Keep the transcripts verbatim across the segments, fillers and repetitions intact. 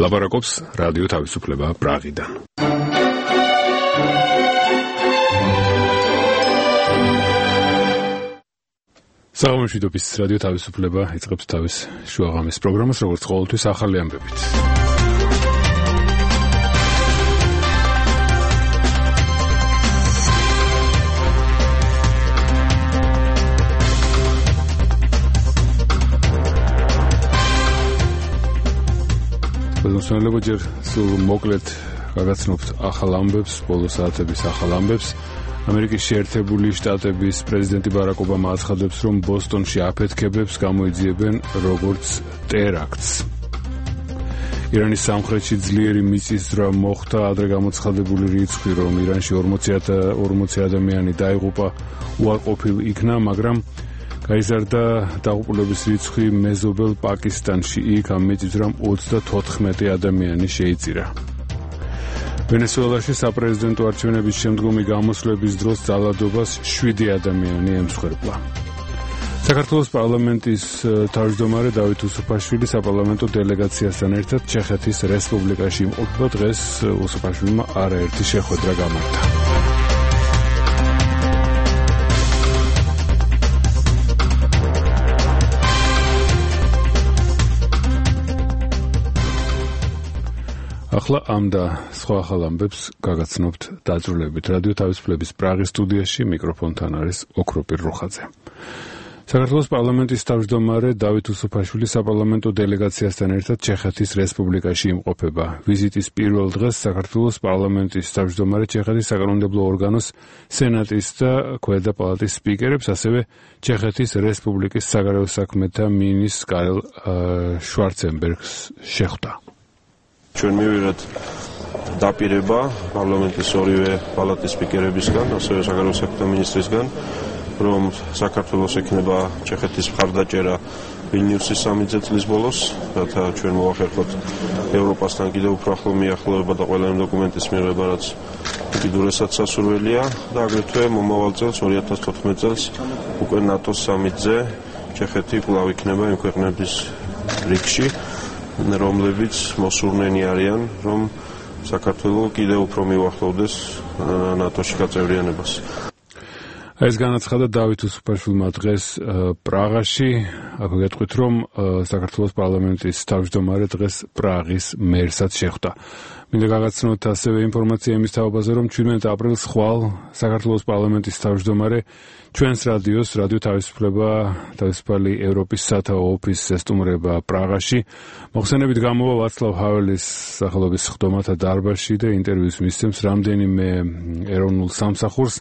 ლაპარაკობს რადიო თავისუფლება პრაღიდან. საღამოშვიდობის რადიო თავისუფლება იწყებს თავის შუაღამის პროგრამას, როგორც ყოველთვის ახალი ამბებით. მოსწავლეობა ჯერ სულ მოკლედ გაგაცნობთ ახალ ამბებს, ბოლო საათების ახალ ამბებს. ამერიკის შეერთებული შტატების პრეზიდენტი ბარაკ ობამა აცხადებს, რომ ბოსტონში აფეთქებებს გამოიძიებენ როგორც ტერაქტს. ირანის სამხრეთში ძლიერი მიწისძვრა მოხდა, ადრე გამოცხადებული რიცხვი, რომ ირანში ორმოცი ადამიანი დაიღუპა, უარყოფილ იქნა, მაგრამ გაიზარდა დაღუპულების რიცხვი მეზობელ პაკისტანში. იქ ამ მიწისძვრამ ოცდათოთხმეტი ადამიანი შეიწირა. ვენესუელაში საპრეზიდენტო არჩევნების შემდგომი გამოსვლების დროს ძალადობას შვიდი ადამიანი ემსხვერპლა. საქართველოს პარლამენტის თავმჯდომარე დავით უსუფაშვილი საპარლამენტო დელეგაციასთან ერთად ჩეხეთის რესპუბლიკაში იმყოფება. დღეს უსუფაშვილმა არაერთი შეხვედრა გამართა. ახლა ამ და სხვა ახალ ამბებს გაგაცნობთ დაძრულებით. რადიო თავისუფლების პრაღის სტუდიაში მიკროფონთან არის ოქროპირ რუხაძე. საქართველოს პარლამენტის თავმჯდომარე დავით უსუფაშვილი საპარლამენტო დელეგაციასთან ერთად ჩეხეთის რესპუბლიკაში იმყოფება. ვიზიტის პირველ დღეს საქართველოს პარლამენტის თავმჯდომარე ჩეხეთის საკანონმდებლო ორგანოს სენატის და ქვედა პალატის სპიკერებს, ასევე ჩეხეთის რესპუბლიკის საგარეო საქმეთა მინისტრს კარელ შვარცენბერგს შეხვდა. ჩვენ მივიღეთ დაპირება პარლამენტის ორივე პალატის სპიკერებისგან, ასევე საგარეო საქმეთა მინისტრისგან, რომ საქართველოს ექნება ჩეხეთის მხარდაჭერა ვილნიუსის სამი წლის ბოლოს, რათა ჩვენ მოვახერხოთ ევროპასთან კიდევ უფრო ახლო მიახლოება და ყველა იმ დოკუმენტის მიღება, რაც უკიდურესად სასურველია და აგრეთვე მომავალ წელს ორი ათას თოთხმეტ წელს უკვე ნატოს სამიტზე ჩეხეთი კვლავ იქნება იმ ქვეყნების რიგში, რომლებიც მოსურნენი არიან, რომ საქართველო კიდევ უფრო მივახლოვდეს ნატოში გაწევრიანებას. ეს განაცხადა დავით უსუფაშვილმა დღეს პრაღაში. აქვე გეტყვით, რომ საქართველოს პარლამენტის თავმჯდომარე დღეს პრაღის მერსაც შეხვდა. მინდა გაგაცნოთ ასევე ინფორმაცია იმის თაობაზე, რომ ჩვიდმეტ აპრილს ხვალ საქართველოს პარლამენტის თავმჯდომარე ჩვენს რადიოს, რადიო თავისუფლება, თავისუფალი ევროპის სათაო ოფისს ესტუმრება პრაღაში. მოხსენებით გამოვა ვაცლავ ჰაველის სახელობის სხდომათა დარბაზში და ინტერვიუს მისცემს რამდენიმე ეროვნულ სამსახურს.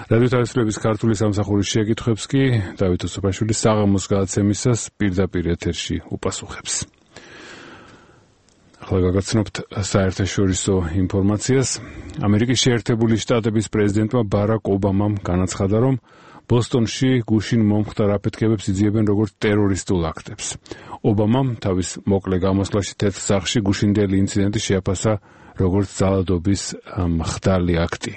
რადიო თავისუფლების ქართული სამსახურის შეკითხვებს კი დავით უსუფაშვილი საღამოს გადაცემისას პირდაპირ ეთერში უპასუხებს. ახლა გაგაცნობთ საერთაშორისო ინფორმაციას. ამერიკის შეერთებული შტატების პრეზიდენტმა ბარაკ ობამამ განაცხადა, რომ ბოსტონში გუშინ მომხდარ აფეთქებებს იძიებენ როგორც ტერორისტულ აქტებს. ობამამ თავის მოკლე გამოსვლაში თეთრ სახლში გუშინდელი ინციდენტი შეაფასა როგორც ძალადობის მხდარი აქტი.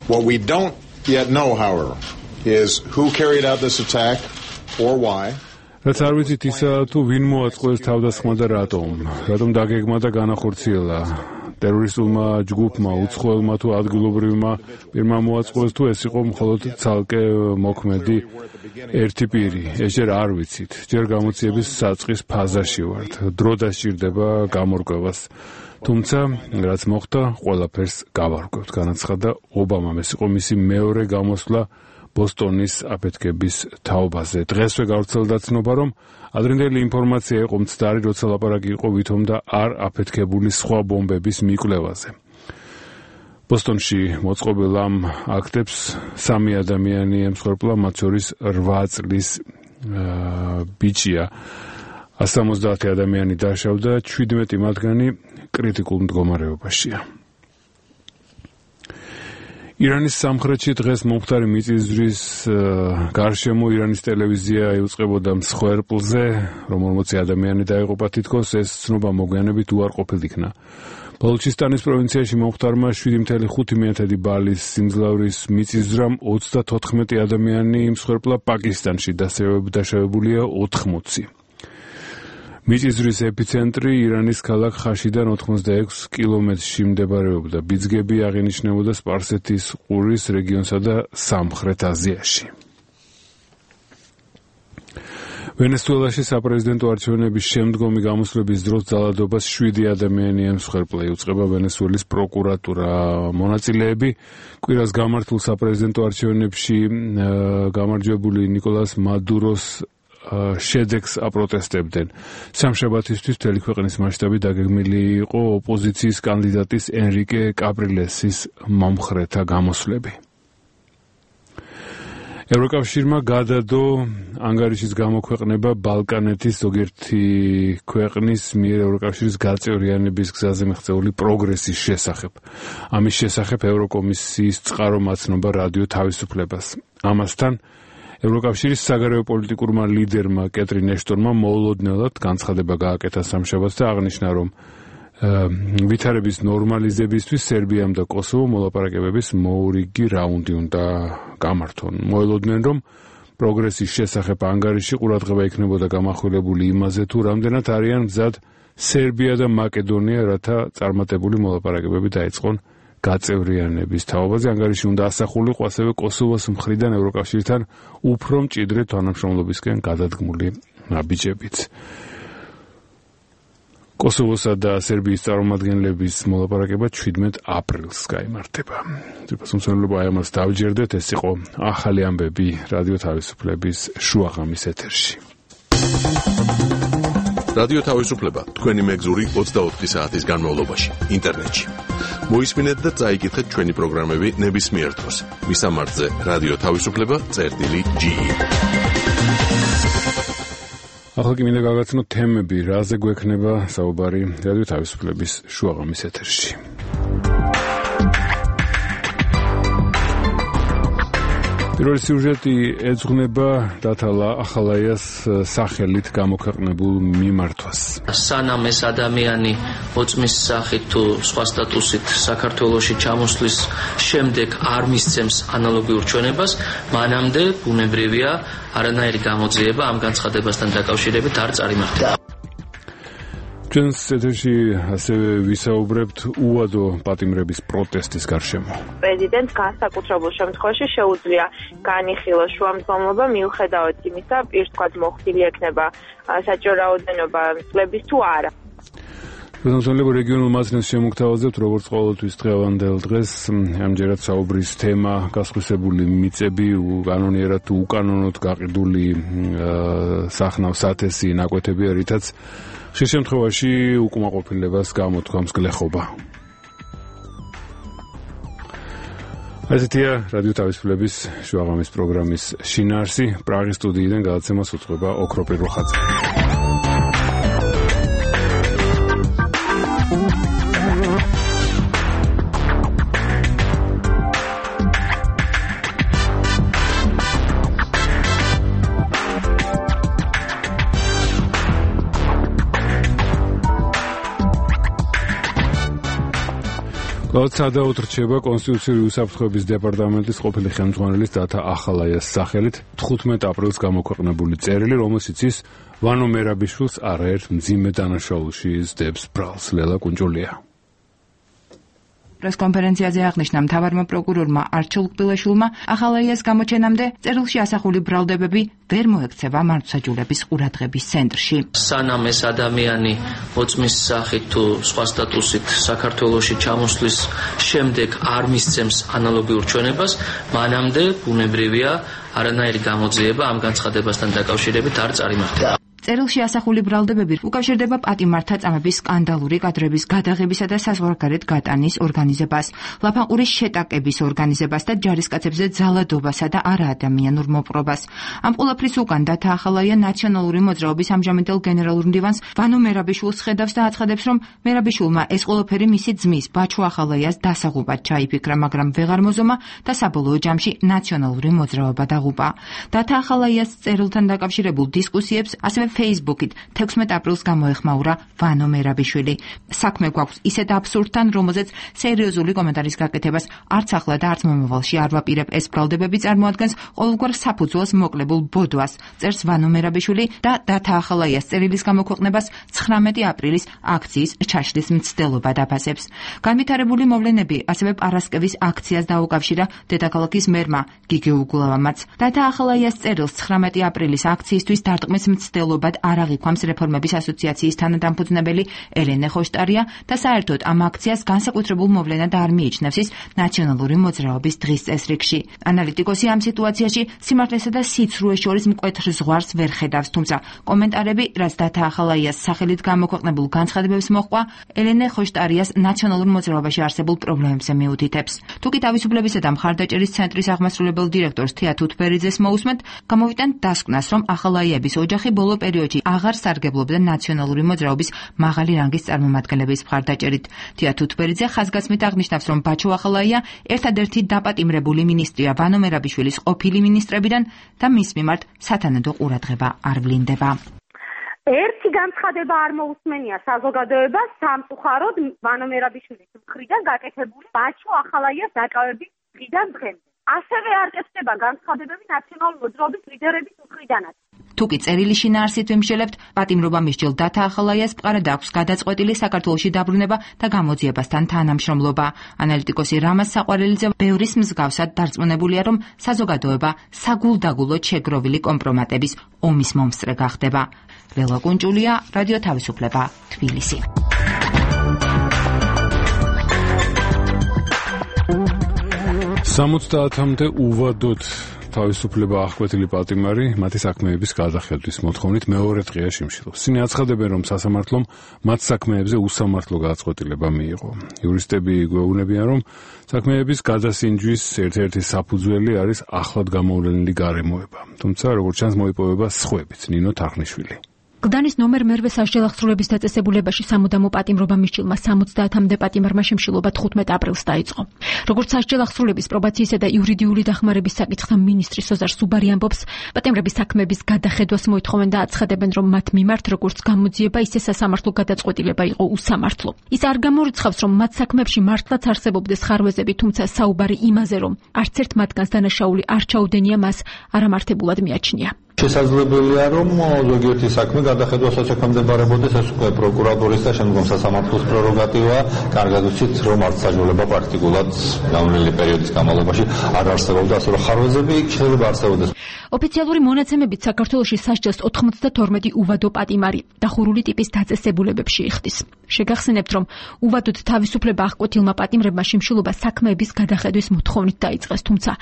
What we don't yet know, however, is who carried out this attack or why. რაც არ ვიცით ისა, თუ ვინ მოაწყვილეს თავდასხმა და რატომ, რატომ დაგეგმა და განახორციელა. ტერორისტულმა ჯგუფმა, უცხოელმა თუ ადგილობრივმა პირმა მოაწყვილეს, თუ ეს იყო მხოლოდ ცალკე მოქმედი ერთი პირი. ეს ჯერ არ ვიცით. ჯერ გამოძიების საწყის ფაზაში ვართ. დრო დასჭირდება გამორკვევას. თუმცა, რაც მოხდა, ყველაფერს გავარკვევთ, განაცხადა ობამამ. ეს იყო მისი მეორე გამოსვლა ბოსტონის აფეთქების თაობაზე. დღესვე გავრცელდა ცნობა, რომ ადრინდელი ინფორმაცია იყო მცდარი, როცა ლაპარაკი იყო ვითომ და არ აფეთქებული სხვა ბომბების მიკვლევაზე. ბოსტონში მოწყობილ ამ აქტებს სამი ადამიანი ემსხვერპლა, მათ შორის რვა წლის ბიჭია. ას სამოცდაათი ადამიანი დაშავდა, ჩვიდმეტი მათგანი კრიტიკულ მდგომარეობაშია. ირანის სამხრეთში დღეს მომხდარი მიწისძვრის გარშემო ირანის ტელევიზია იუწყებოდა მსხვერპლზე, რომ ორმოცი ადამიანი დაიღუპა. თითქოს ეს ცნობა მოგვიანებით უარყოფილ იქნა. ბალუჩისტანის პროვინციაში მომხდარმა შვიდი მცდარი ხუთი მეათედი ბალის სიმძლავრის მიწისძვრამ ოცდათოთხმეტი ადამიანი იმსხვერპლა. პაკისტანში დასავებულია ოთხმოცი. მიწისძვრის ეპიცენტრი ირანის ქალაქ ხაშიდან ოთხმოცდაექვსი კილომეტრში მდებარეობდა. ბიძგები აღინიშნებოდა სპარსეთის ყურის რეგიონსა და სამხრეთ აზიაში. ვენესუელაში საპრეზიდენტო არჩევნების შემდგომი გამოსვლების დროს ძალადობას შვიდი ადამიანი ემსხვერპლა, იუწყება ვენესუელის პროკურატურა. მონაწილეები კვირას გამართულ საპრეზიდენტო არჩევნებში გამარჯვებული ნიკოლას მადუროს შედეგს აპროტესტებდნენ. სამშაბათისთვის მთელი ქვეყნის მასშტაბით დაგეგმილი იყო ოპოზიციის კანდიდატის ენრიკე კაპრილესის მომხრეთა გამოსვლები. ევროკავშირმა გადადო ანგარიშის გამოქვეყნება ბალკანეთის ზოგიერთი ქვეყნის მიერ ევროკავშირის გაწევრიანების გზაზე მიღწეული პროგრესის შესახებ. ამის შესახებ ევროკომისიის წყარო მაცნობა რადიო თავისუფლებას. ამასთან ევროკავშირის საგარეო პოლიტიკურმა ლიდერმა კეტრინ ეშტონმა მოულოდნელად განცხადება გააკეთა სამშაბათს და აღნიშნა, რომ ვითარების ნორმალიზებისთვის სერბიამ და კოსოვომ მოლაპარაკებების მოურიგი რაუნდი უნდა გამართონ. მოელოდნენ, რომ პროგრესის შესახებ ანგარიში ყურადღება იქნებოდა გამახვილებული იმაზე, თუ რამდენად არიან მზად სერბია და მაკედონია, რათა წარმატებული მოლაპარაკებები დაიწყონ გაწევრიანების თაობაზე. ანგარიში უნდა ასახულიყო ასევე კოსოვოს მხრიდან ევროკავშირთან უფრო მჭიდრე თანამშრომლობისკენ გადადგმული ნაბიჯებით. კოსოვოსა და სერბიის წარმომადგენლების მოლაპარაკება შვიდმეტ აპრილს გაიმართება. ძირფასმცველობა აი ამას დავჯერდეთ, ეს იყო ახალი ამბები რადიო თავისუფლების შუაღამის ეთერში. რადიო თავისუფლება თქვენი მეგზური ოცდაოთხი საათის განმავლობაში ინტერნეტში. მოისმინეთ და წაიკითხეთ ჩვენი პროგრამები ნებისმიერ დროს. მისამართზე რადიო თავისუფლება წერტილი ჯი. ახლა კი მინდა გავაცნოთ თემები, რაზე გვექნება საუბარი რადიო თავისუფლების შუაღამის ეთერში. პირველი სიუჟეტი ეძღვნება დათალა ახალაიას სახელით გამოქვეყნებულ მიმართვას. სანამ ეს ადამიანი ოწმის სახით თუ სხვა სტატუსით საქართველოში ჩამოსვლის შემდეგ არ მისცემს ანალოგიურ ჩვენებას, მანამდე ბუნებრივია არანაირი გამოძიება ამ განცხადებასთან დაკავშირებით არ წარიმართება. ჩვენს ეთერში ასევე ვისაუბრებთ უადო პატიმრების პროტესტის გარშემო. პრეზიდენტს განსაკუთრებულ შემთხვევაში შეუძლია განიხილოს შუამდგომლობა მიუხედავად იმისა, პირს თქვათ მოხდილი ექნება საჭირო რაოდენობა წლების თუ არა. პრეზიდენტის რეგიონულ მაცნეს შემოგთავაზებთ, როგორც ყოველთვის დღევანდელ დღეს, ამჯერად საუბრის თემა გასხვისებული მიწები, კანონიერად თუ უკანონოდ გაყიდული სახნავ სათესი ნაკვეთები, რითაც ხშირ შემთხვევაში უკმაყოფილებას გამოთქვამს გლეხობა. ასეთია რადიო თავისუფლების შუაღამის პროგრამის შინაარსი. პრაღის სტუდიიდან გადაცემას უძღვება ოქროპირ როხაძე. ლოცადაოდ რჩება კონსტიტუციური უსაფრთხოების დეპარტამენტის ყოფილი ხელმძღვანელის დათა ახალაიას სახელით თხუთმეტ აპრილს გამოქვეყნებული წერილი, რომელშიც ის ვანო მერაბიშვილს არაერთ მძიმე დანაშაულში სდებს ბრალს. ლელა კუნჭულია. პრესკონფერენციაზე აღნიშნა მთავარმა პროკურორმა არჩილ ყბილაშვილმა ახალაიას გამოჩენამდე წერილში ასახული ბრალდებები ვერ მოექცევა მართლმსაჯულების ყურადღების ცენტრში. სანამ ეს ადამიანი ოწმის სახით თუ სხვა სტატუსით საქართველოში ჩამოსვლის შემდეგ არ მისცემს ანალოგიურ ჩვენებას, მანამდე ბუნებრივია არანაირი გამოძიება ამ განცხადებასთან დაკავშირებით არ წარიმართება. წერილში ასახული ბრალდებები უკავშირდება პატიმართა წამების სკანდალური კადრების გადაღებისა და საზღვარგარეთ გატანის ორგანიზებას, ლაფანყურის შეტაკების ორგანიზებას და ჯარისკაცებზე ძალადობასა და არაადამიანურ მოპყრობას. ამ ყველაფრის უკან დათა ახალაია ნაციონალური მოძრაობის ამჟამინდელ გენერალურ მდივანს ვანო მერაბიშვილს ხედავს და აცხადებს, რომ მერაბიშვილმა ეს ყველაფერი მისი ძმის ბაჩო ახალაიას დასაღუპად ჩაიფიქრა, მაგრამ ვეღარ მოზომა და საბოლოო ჯამში ნაციონალური მოძრაობა დაღუპა. დათა ახალაიას წერილთან დაკავშირებულ დისკუსიებს ასევე Facebook-ით თექვსმეტ აპრილს გამოეხმაურა ვანო მერაბიშვილი. საქმე გვაქვს ისეთ აბსურდთან, რომელზეც სერიოზული კომენტარის გაკეთებას არც ახლა და არც მომავალში არ ვაპირებ. ეს ბრალდებები წარმოადგენს ყოველგვარ საფუძველს მოკლებულ ბოდვას, წერს ვანო მერაბიშვილი და დათა ახალაიას წერილის გამოქვეყნებას ცხრამეტი აპრილის აქციის ჩაშლის მცდელობა დაფასებს. განვითარებული მოვლენები ასევე პარასკევის აქციას დაუკავშირა დედაქალაქის მერმა გიგი უგულავამაც. დათა ახალაიას წერილს ცხრამეტი აპრილის აქციისთვის დარტყმის მცდელობად არ აღიქვამს რეფორმების ასოციაციის თანადამფუძნებელი ელენე ხოშტარია და საერთოდ ამ აქციას განსაკუთრებულ მოვლენად არ მიიჩნევს ის ნაციონალური მოძრაობის დღის წესრიგში. ანალიტიკოსი ამ სიტუაციაში სიმართლესა და სიცრუეს შორის მკვეთრ ზღვარს ვერ ხედავს, თუმცა კომენტარები, რაც დათა ახალაიას სახელით გამოქვეყნებულ განცხადებებს მოჰყვა, ელენე ხოშტარიას ნაციონალურ მოძრაობაში არსებულ პრობლემებზე მიუთითებს. თუკი თავისუფლებისა და მხარდაჭერის ცენტრის აღმასრულებელ დირექტორს თეა თუთბერიძეს მოусმენთ, გამოვიტანთ დასკვნას, რომ ახალაიების ოჯახი ბოლო პერიოდში აღარ სარგებლობდა ნაციონალური მოძრაობის მაღალი რანგის წარმომადგენლების მხარდაჭერით. თეა თუთბერიძე ხაზგასმით აღნიშნავს, რომ ბაჩო ახალაია ერთადერთი დაპატიმრებული მინისტრია ვანო მერაბიშვილის ყოფილი მინისტრებიდან და მის მიმართ სათანადო ყურადღება არ ვლინდება. ერთი განცხადება არ მოусმენია საზოგადოებას სამწუხაროდ ვანო მერაბიშვილის მხრიდან გაკეთებული ბაჩო ახალაიას დაკავების დღიდან დღემდე. ასევე არ წესდება განცხადებები ნაციონალური მოძრაობის ლიდერების მხრიდანაც. თუკი წერილი შინაარსით ვიმსჯელებთ, პატიმრობა მისჯილ დათა ახალაიას მყარად აქვს გადაწყვეტილი საქართველოში დაბრუნება და გამოძიებასთან თანამშრომლობა. ანალიტიკოსი რამაზ საყვარელიძე ბევრის მსგავსად დარწმუნებულია, რომ საზოგადოება საგულდაგულოდ შეგროვილი კომპრომატების ომის მომსწრე გახდება. ლელა კუნჭულია, რადიო თავისუფლება, თბილისი. სამოცდაათამდე უვადოდ თავისუფლება აღკვეთილი პატიმარი მათი საქმეების გადახედვის მოთხოვნით მეორე დღეა შიმშილობს. ისინი აცხადებენ, რომ სასამართლომ მათ საქმეებზე უსამართლო გადაწყვეტილება მიიღო. იურისტები გვეუბნებიან, რომ საქმეების გადასინჯვის ერთ-ერთი საფუძველი არის ახლად გამოვლენილი გარემოება. თუმცა, როგორც ჩანს, მოიპოვება სხვებიც, ნინო თარხნიშვილი. გდანის ნომერ მერვე სასჯელ აღსრულების დაწესებულებაში სამუდამო პატიმრობა მისჯილმა სამოცდაათამდე პატიმარმა შიმშილობა თხუთმეტ აპრილს დაიწყო. როგორც სასჯელ აღსრულების პრობაციისა და იურიდიული დახმარების საკითხთა მინისტრი სოზარ სუბარი ამბობს, პატიმრების საქმეების გადახედვას მოითხოვენ და აცხადებენ, რომ მათ მიმართ როგორც გამოძიება, ისე სასამართლო გადაწყვეტილება იყო უსამართლო. ის არ გამორიცხავს, რომ მათ საქმეებში მართლაც არსებობდეს ხარვეზები, თუმცა საუბარი იმაზე, რომ არც ერთ მათგანს დანაშაული არ ჩაუდენია, მას არამართებულად მიაჩნია. შესაძლებელია, რომ ზოგიერთი საქმე გადახედვასაც ექვემდებარებოდეს, ეს უკვე პროკურატურის და შემდგომ სასამართლოს პრეროგატივაა. კარგად ვიცით, რომ არც საჯულება პრაქტიკულად განვლილი პერიოდის განმავლობაში არ არსებობდა, ასე რომ ხარვეზები შეიძლება არსებობდეს. ოფიციალური მონაცემებით საქართველოში სასჯელს ოთხმოცდათორმეტი უვადო პატიმარი დახურული ტიპის დაწესებულებებში იხდის. შეგახსენებთ, რომ უვადოდ თავისუფლება აღკვეთილმა პატიმრებმა შიმშილობა საქმეების გადახედვის მოთხოვნით დაიწყეს, თუმცა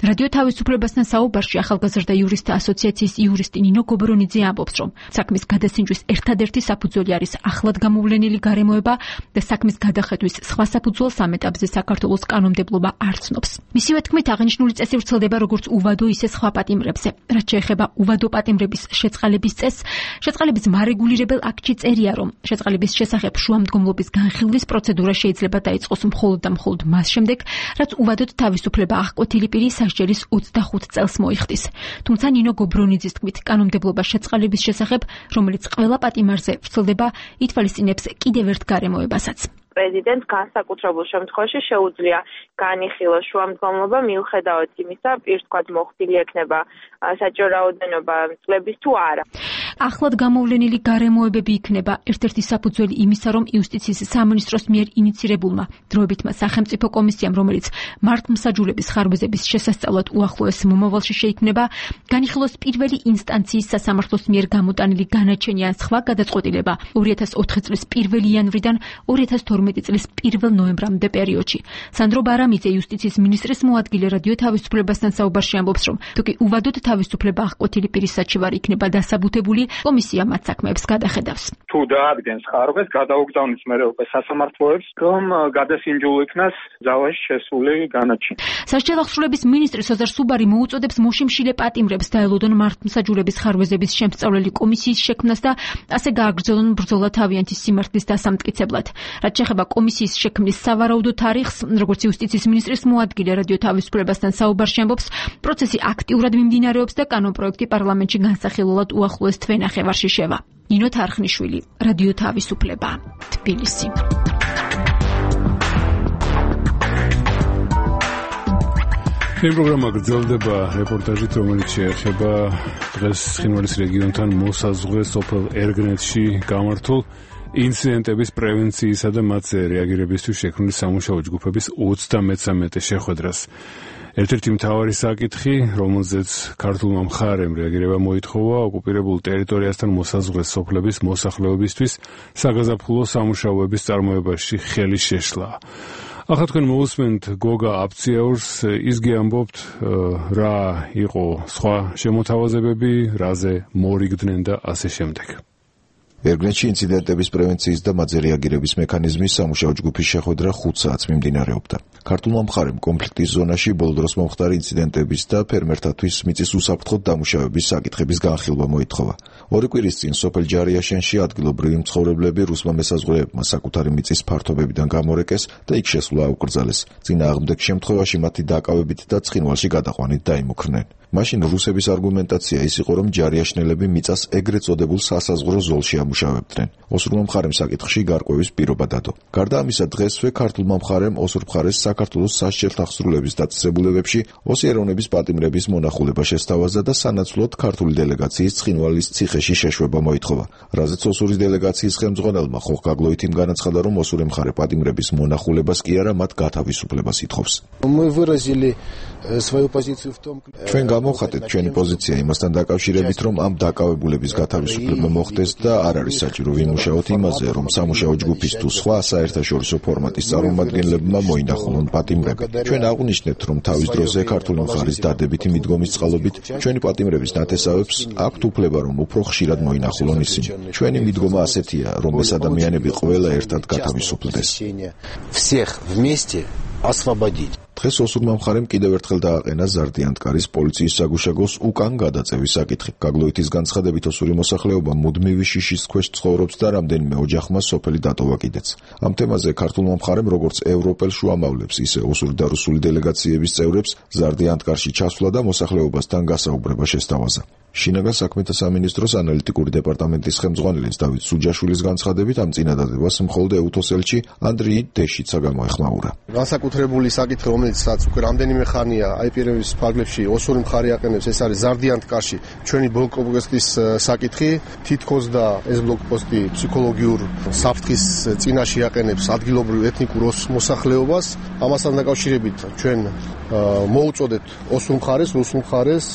რადიო თავისუფლებასთან საუბარში ახალგაზრდა იურისტთა ასოციაციის იურისტი ნინო გობრონიძე ამბობს, რომ საქმის გადასინჯვის ერთადერთი საფუძველი არის ახლად გამოვლენილი გარემოება და საქმის გადახედვის სხვა საფუძველს ამ ეტაპზე საქართველოს კანონმდებლობა არ ცნობს. მისივე თქმით, აღნიშნული წესი ვრცელდება როგორც უვადო, ისე სხვა პატიმრებზე. რაც შეეხება უვადო პატიმრების შეწყალების წესს, შეწყალების მარეგულირებელ აქტში წერია, რომ შეწყალების შესახებ შუამდგომლობის განხილვის პროცედურა შეიძლება დაიწყოს მხოლოდ და მხოლოდ მას შემდეგ, რაც უვადოდ თავისუფლება აღკვეთილი პირი სასჯელის ოცდახუთ წელს მოიხდის. თუმცა ნინო გობრონიძის თქმით, კანონმდებლობა შეწყალების შესახებ, რომელიც ყველა პატიმარზე ვრცელდება, ითვალისწინებს კიდევ ერთ გარემოებასაც. პრეზიდენტს განსაკუთრებულ შემთხვევაში შეუძლია განიხილოს შუამდგომლობა მიუხედავად იმისა, პირს თქვათ მოხდილი ექნება საჭირო რაოდენობა წლების თუ არა. ახლად გამოვლენილი გარემოებები იქნება ერთ-ერთი საფუძველი იმისა, რომ იუსტიციის სამინისტროს მიერ ინიცირებულმა დროებითმა სახელმწიფო კომისიამ, რომელიც მართლმსაჯულების ხარვეზების შესასწავლად უახლოეს მომავალში შეიქმნება, განიხილოს პირველი ინსტანციის სასამართლოს მიერ გამოტანილი განაჩენი ან სხვა გადაწყვეტილება ორი ათას ოთხი წლის პირველი იანვრიდან ორი ათას თორმეტი წლის პირველ ნოემბრამდე პერიოდში. სანდრო ბარამიძე, იუსტიციის მინისტრის მოადგილე, რადიო თავისუფლებასთან საუბარში ამბობს, რომ თუკი უვადოდ თავისუფლება აღკვეთილი პირის საჩივარი იქნება დასაბუთებული, კომისია მათ საქმეებს გადახედავს. თუ დაადგენს ხარვეს, გადაუგზავნის მერე უკვე სასამართლოებს, რომ გადასინჯულ იქნას ძალაში შესული განაჩენი. სასჯელ აღსრულების მინისტრი სოზარ სუბარი მოუწოდებს მოშიმშილე პატიმრებს დაელოდონ მართლმსაჯულების ხარვეზების შემსწავლელი კომისიის შექმნას და ასე გააგრძელონ ბრძოლა თავიანთი სიმართლის დასამტკიცებლად. რაც შეეხება კომისიის შექმნის სავარაუდო თარიღს, როგორც იუსტიციის მინისტრის მოადგილე რადიო თავისუფლებასთან საუბარში ამბობს, პროცესი აქტიურად მიმდინარეობს და კანონპროექტი პარლამენტში განსახილველად უახლოეს თვეში ჩვენ ნახევარში შევა. ნინო თარხნიშვილი, რადიო თავისუფლება, თბილისი. ეს პროგრამა გრძელდება რეპორტაჟით, რომელიც შეეხება დღეს ცხინვალის რეგიონთან მოსაზღვრე სოფელ ერგნეთში გამართულ ინციდენტების პრევენციისა და მათზე რეაგირებისთვის შექმნილი სამუშაო ჯგუფების ოცდამეცამეტე შეხვედრას. ერთ-ერთი მთავარი საკითხი, რომელზეც ქართულმა მხარემ რეაგირება მოითხოვა, ოკუპირებულ ტერიტორიასთან მოსაზღვრე სოფლების მოსახლეობისთვის საგაზაფხულო სამუშაოების წარმოებაში ხელის შეშლა. ახლა თქვენ მოусმენთ გოგა აფციაურს, ის გიამბობთ რა იყო სხვა შემოთავაზებები, რაზე მორიგდნენ და ასე შემდეგ. ერგნეთში ინციდენტების პრევენციის და მათზე რეაგირების მექანიზმის სამუშაო ჯგუფის შეხვედრა ხუთ საათს მიმდინარეობდა. ქართულმა მხარემ კონფლიქტის ზონაში ბოლო დროს მომხდარი ინციდენტების და ფერმერთათვის მიწის უსაფრთხოდ დამუშავების საკითხების განხილვა მოითხოვა. ორი კვირის წინ სოფელ ჯარიაშენში ადგილობრივი მცხოვრებლები რუსმა მესაზღვრეებმა საკუთარი მიწის ფართობებიდან გამორეკეს და იქ შესვლა აუკრძალეს. წინააღმდეგ შემთხვევაში მათი დაკავებით და ცხინვალში გადაყვანით დაიმუქრნენ. მაშინ რუსების არგუმენტაცია ის იყო, რომ ჯარიაშნელები მიწას ეგრეთ წოდებულ სასაზღვრო ზოლში ამუშავებდნენ. ოსურმა მხარემ საკითხში გარკვევის პირობა დადო. გარდა ამისა, დღესვე ქართულმა მხარემ ოსურ მხარეს საქართველოს სასჯელთა ხსრულების დაწესებულებებში ოსი ეროვნების პატიმრების მონახულება შესთავაზა და სანაცვლოდ ქართული დელეგაციის ცხინვალის ციხეში შეშვება მოითხოვა. რაზეც ოსურის დელეგაციის ხელმძღვანელმა ხოხგაგლოითიმ განაცხადა, რომ ოსური მხარე პატიმრების მონახულებას კი არა, მათ გათავისუფლებას ითხოვს. ჩვენ გამოვხატეთ ჩვენი პოზიცია იმასთან დაკავშირებით, რომ ამ დაკავებულების გათავისუფლება მოხდეს და არ არის საჭირო ვიმუშაოთ იმაზე, რომ სამუშაო ჯგუფის თუ სხვა საერთაშორისო ფორმატის წარმომადგენლებმა მოინახულონ პატიმრები. ჩვენ აღვნიშნეთ, რომ თავის დროზე ქართული მხარის დადებითი მიდგომის წყალობით ჩვენი პატიმრების ნათესავებს აქვთ უფლება, რომ უფრო ხშირად მოინახულონ ისინი. ჩვენი მიდგომა ასეთია, რომ ეს ადამიანები ყველა ერთად გათავისუფლდეს. დღეს ოსურმა მხარემ კიდევ ერთხელ დააყენა ზარდიანტკარის პოლიციის საგუშაგოს უკან გადაწევის საკითხი. გაგლოითის განცხადებით, ოსური მოსახლეობა მუდმივი შიშის ქვეშ ცხოვრობს და რამდენიმე ოჯახმა სოფელი დატოვა კიდეც. ამ თემაზე ქართულმა მხარემ როგორც ევროპელ შუამავლებს, ისე ოსური და რუსული დელეგაციების წევრებს ზარდიანტკარში ჩასვლა და მოსახლეობასთან გასაუბრება შესთავაზა. შინაგან საქმეთა სამინისტროს ანალიტიკური დეპარტამენტის ხელმძღვანელის დავით სუჯაშვილის განცხადებით, ამ წინადადებას მხოლოდ ეუთოს ელჩი ანდრიი დეშიცა გამოეხმაურა. განსაკუთრებული საკითხი, რომელიცაც უკვე რამდენიმე ხანია აიპირების ფარგლებში ოსური მხარე აყენებს, ეს არის ზარდიანტკარში ჩვენი ბლოკპოსტის საკითხი. თითქოს და ეს ბლოკპოსტი ფსიქოლოგიურ საფრთხის წინაშე აყენებს ადგილობრივ ეთნიკურ მოსახლეობას. ამასთან დაკავშირებით ჩვენ მოუწოდეთ ოსურ მხარეს, რუსულ მხარეს,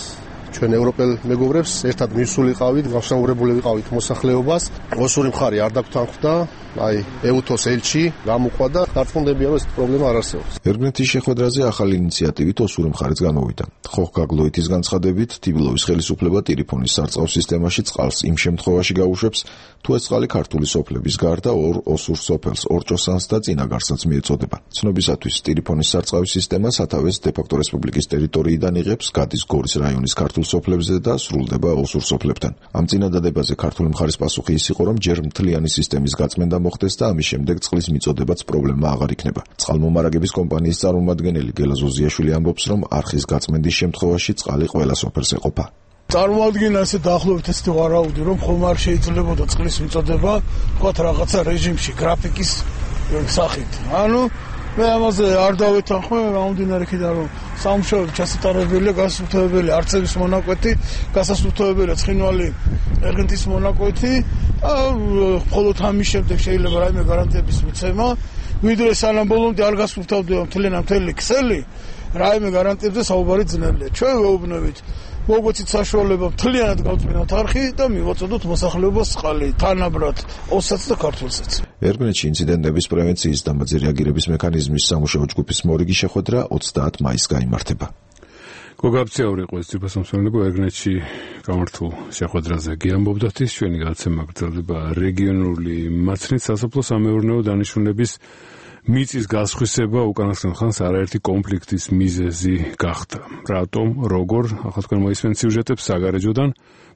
ჩვენ ევროპელ მეგობრებს ერთად მისულიყავით, გასაუბრებული ვიყავით მოსახლეობას. ოსური მხარე არ დაგთანხმდა, აი ეუთოს ელჩი გამოყვა და დარწმუნდებია, რომ ეს პრობლემა არ არსებობს. ერგნეთის შეხვედრაზე ახალი ინიციატივით ოსური მხარეც გამოვიდა. ხოხგაგლოითის განცხადებით, თიბილოვის ხელისუფლება ტელეფონის სარწყავ სისტემაში წყალს იმ შემთხვევაში გაუშვებს, თუ ეს წყალი ქართული სოფლების გარდა ორ ოსურ სოფელს, ორჭოსანს და წინაგარსაც მიეწოდება. ცნობისათვის ტელეფონის სარწყავი სისტემა სათავეს დე-ფაქტო რესპუბლიკის ტერიტორიიდან იღებს, გადის გორის რაიონის ქართულ სოფლებზე და სრულდება ოსურ სოფლებთან. ამ წინადადებაზე ქართული მხარის პასუხი ის იყო, რომ ჯერ მთლიანი სისტემის გაწმენდა მოხდეს და ამის შემდეგ წყლის მიწოდებაც პრობლემა აღარ იქნება. წყალმომარაგების კომპანიის წარმომადგენელი გელა ზოზიაშვილი ამბობს, რომ არხის გაწმენდის შემთხვევაში წყალი ყველა სოფელს ეყოფა. წარმოადგენა ესე დაახლოებით ესეთი ვარაუდი, რომ ხომ არ შეიძლებოდა წყლის მიწოდება, თქვათ რაღაცა რეჟიმში, გრაფიკის სახით. ანუ მე ამაზე არ დავეთანხმე, გამომდინარე იქიდან, რომ სამუშაოები ჩასატარებელია, გასასუფთავებელი არცების მონაკვეთი, გასასუფთავებელია ცხინვალი ერგნეთის მონაკვეთი. მხოლოდ ამის შემდეგ შეიძლება რაიმე გარანტიების მიცემა, ვიდრე სანამ ბოლომდე არ გასუფთავდება მთლიანად მთელი ქსელი, რაიმე გარანტიებზე საუბარი ძნელია. ჩვენ ვეუბნებით მოგვეცით საშუალება მთლიანად გავწმინოთ არხი და მივაწოდოთ მოსახლეობას წყალი, თანაბრად ოსაც და ქართულსაც. ერგნეთში ინციდენტების პრევენციის და მათზე რეაგირების მექანიზმის სამუშაო ჯგუფის მორიგი შეხვედრა ოცდაათ მაისს გაიმართება. გოგა აფციაური იყო ეს ძირფასმომსახურებო ერგნეთში გამართულ შეხვედრაზე გიამბობდათ, ის ჩვენი გადაცემა გრძელდება რეგიონული მაცნით სასოფლო-სამეურნეო დანიშნულების მიწის გასხვისება უკანასკნელ ხანს არაერთი კონფლიქტის მიზეზი გახდა. რატომ, როგორ, ახლა თქვენ მოისმენთ სიუჟეტებს საგარეჯოდან,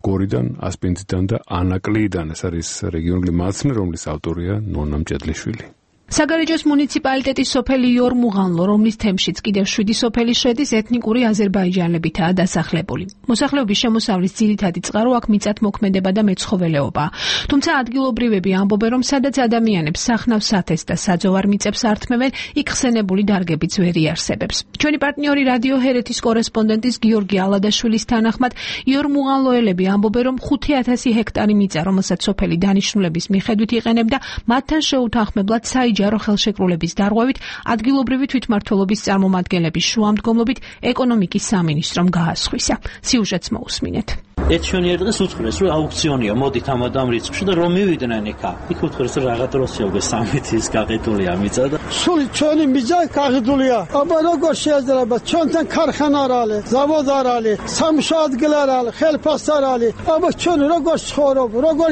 გორიდან, ასპინძიდან და ანაკლიდან. ეს არის რეგიონული მაცნე, რომლის ავტორია ნონა მჭედლიშვილი. საგარეჯოს მუნიციპალიტეტის სოფელი იორმუღანლო, რომლის თემშიც კიდევ შვიდი სოფელი შედის, ეთნიკური აზერბაიჯანელებითაა დასახლებული. მოსახლეობის შემოსავლის ძირითადი წყარო აქ მიწათმოქმედება და მეცხოველეობაა. თუმცა ადგილობრივები ამბობენ, რომ სადაც ადამიანებს სახნავს სათეს და საძოვარ მიწებს ართმევენ, იქ ხსენებული დარგებიც ვერ იარსებებს. ჩვენი პარტნიორი რადიო ჰერეთის კორესპონდენტის გიორგი ალადაშვილის თანახმად, იორმუღანლოელები ამბობენ, რომ ხუთი ათასი ჰექტარი მიწა, რომელსაც სოფელი დანიშნულების მიხედვით იყენებდა, მათთან შეუთანხმებლად საიჯარო ხელშეკრულების დარღვევით ადგილობრივი თვითმმართველობის წარმომადგენლების შუამდგომლობით ეკონომიკის სამინისტრომ გაასხვისა. სიუჟეტს მოусმინეთ. ერთ შვენიერ დღეს უწყრეს, რომ აუქციონია, მოდით ამ ამ რიცხვში და რომ მივიდნენ იქა. იქ უთხრეს, რომ რაღაც როსია უკვე სამეთის გაყიდულია მიწა და სული ჩვენი მიწა გაყიდულია. აბა როგორ შეიძლება? ჩვენთან ქარხანა არ არის, ზავოდ არ არის, სამუშაო ადგილი არ არის, ხელფასი არ არის. აბა ჩვენ როგორ ცხოვრობ, როგორ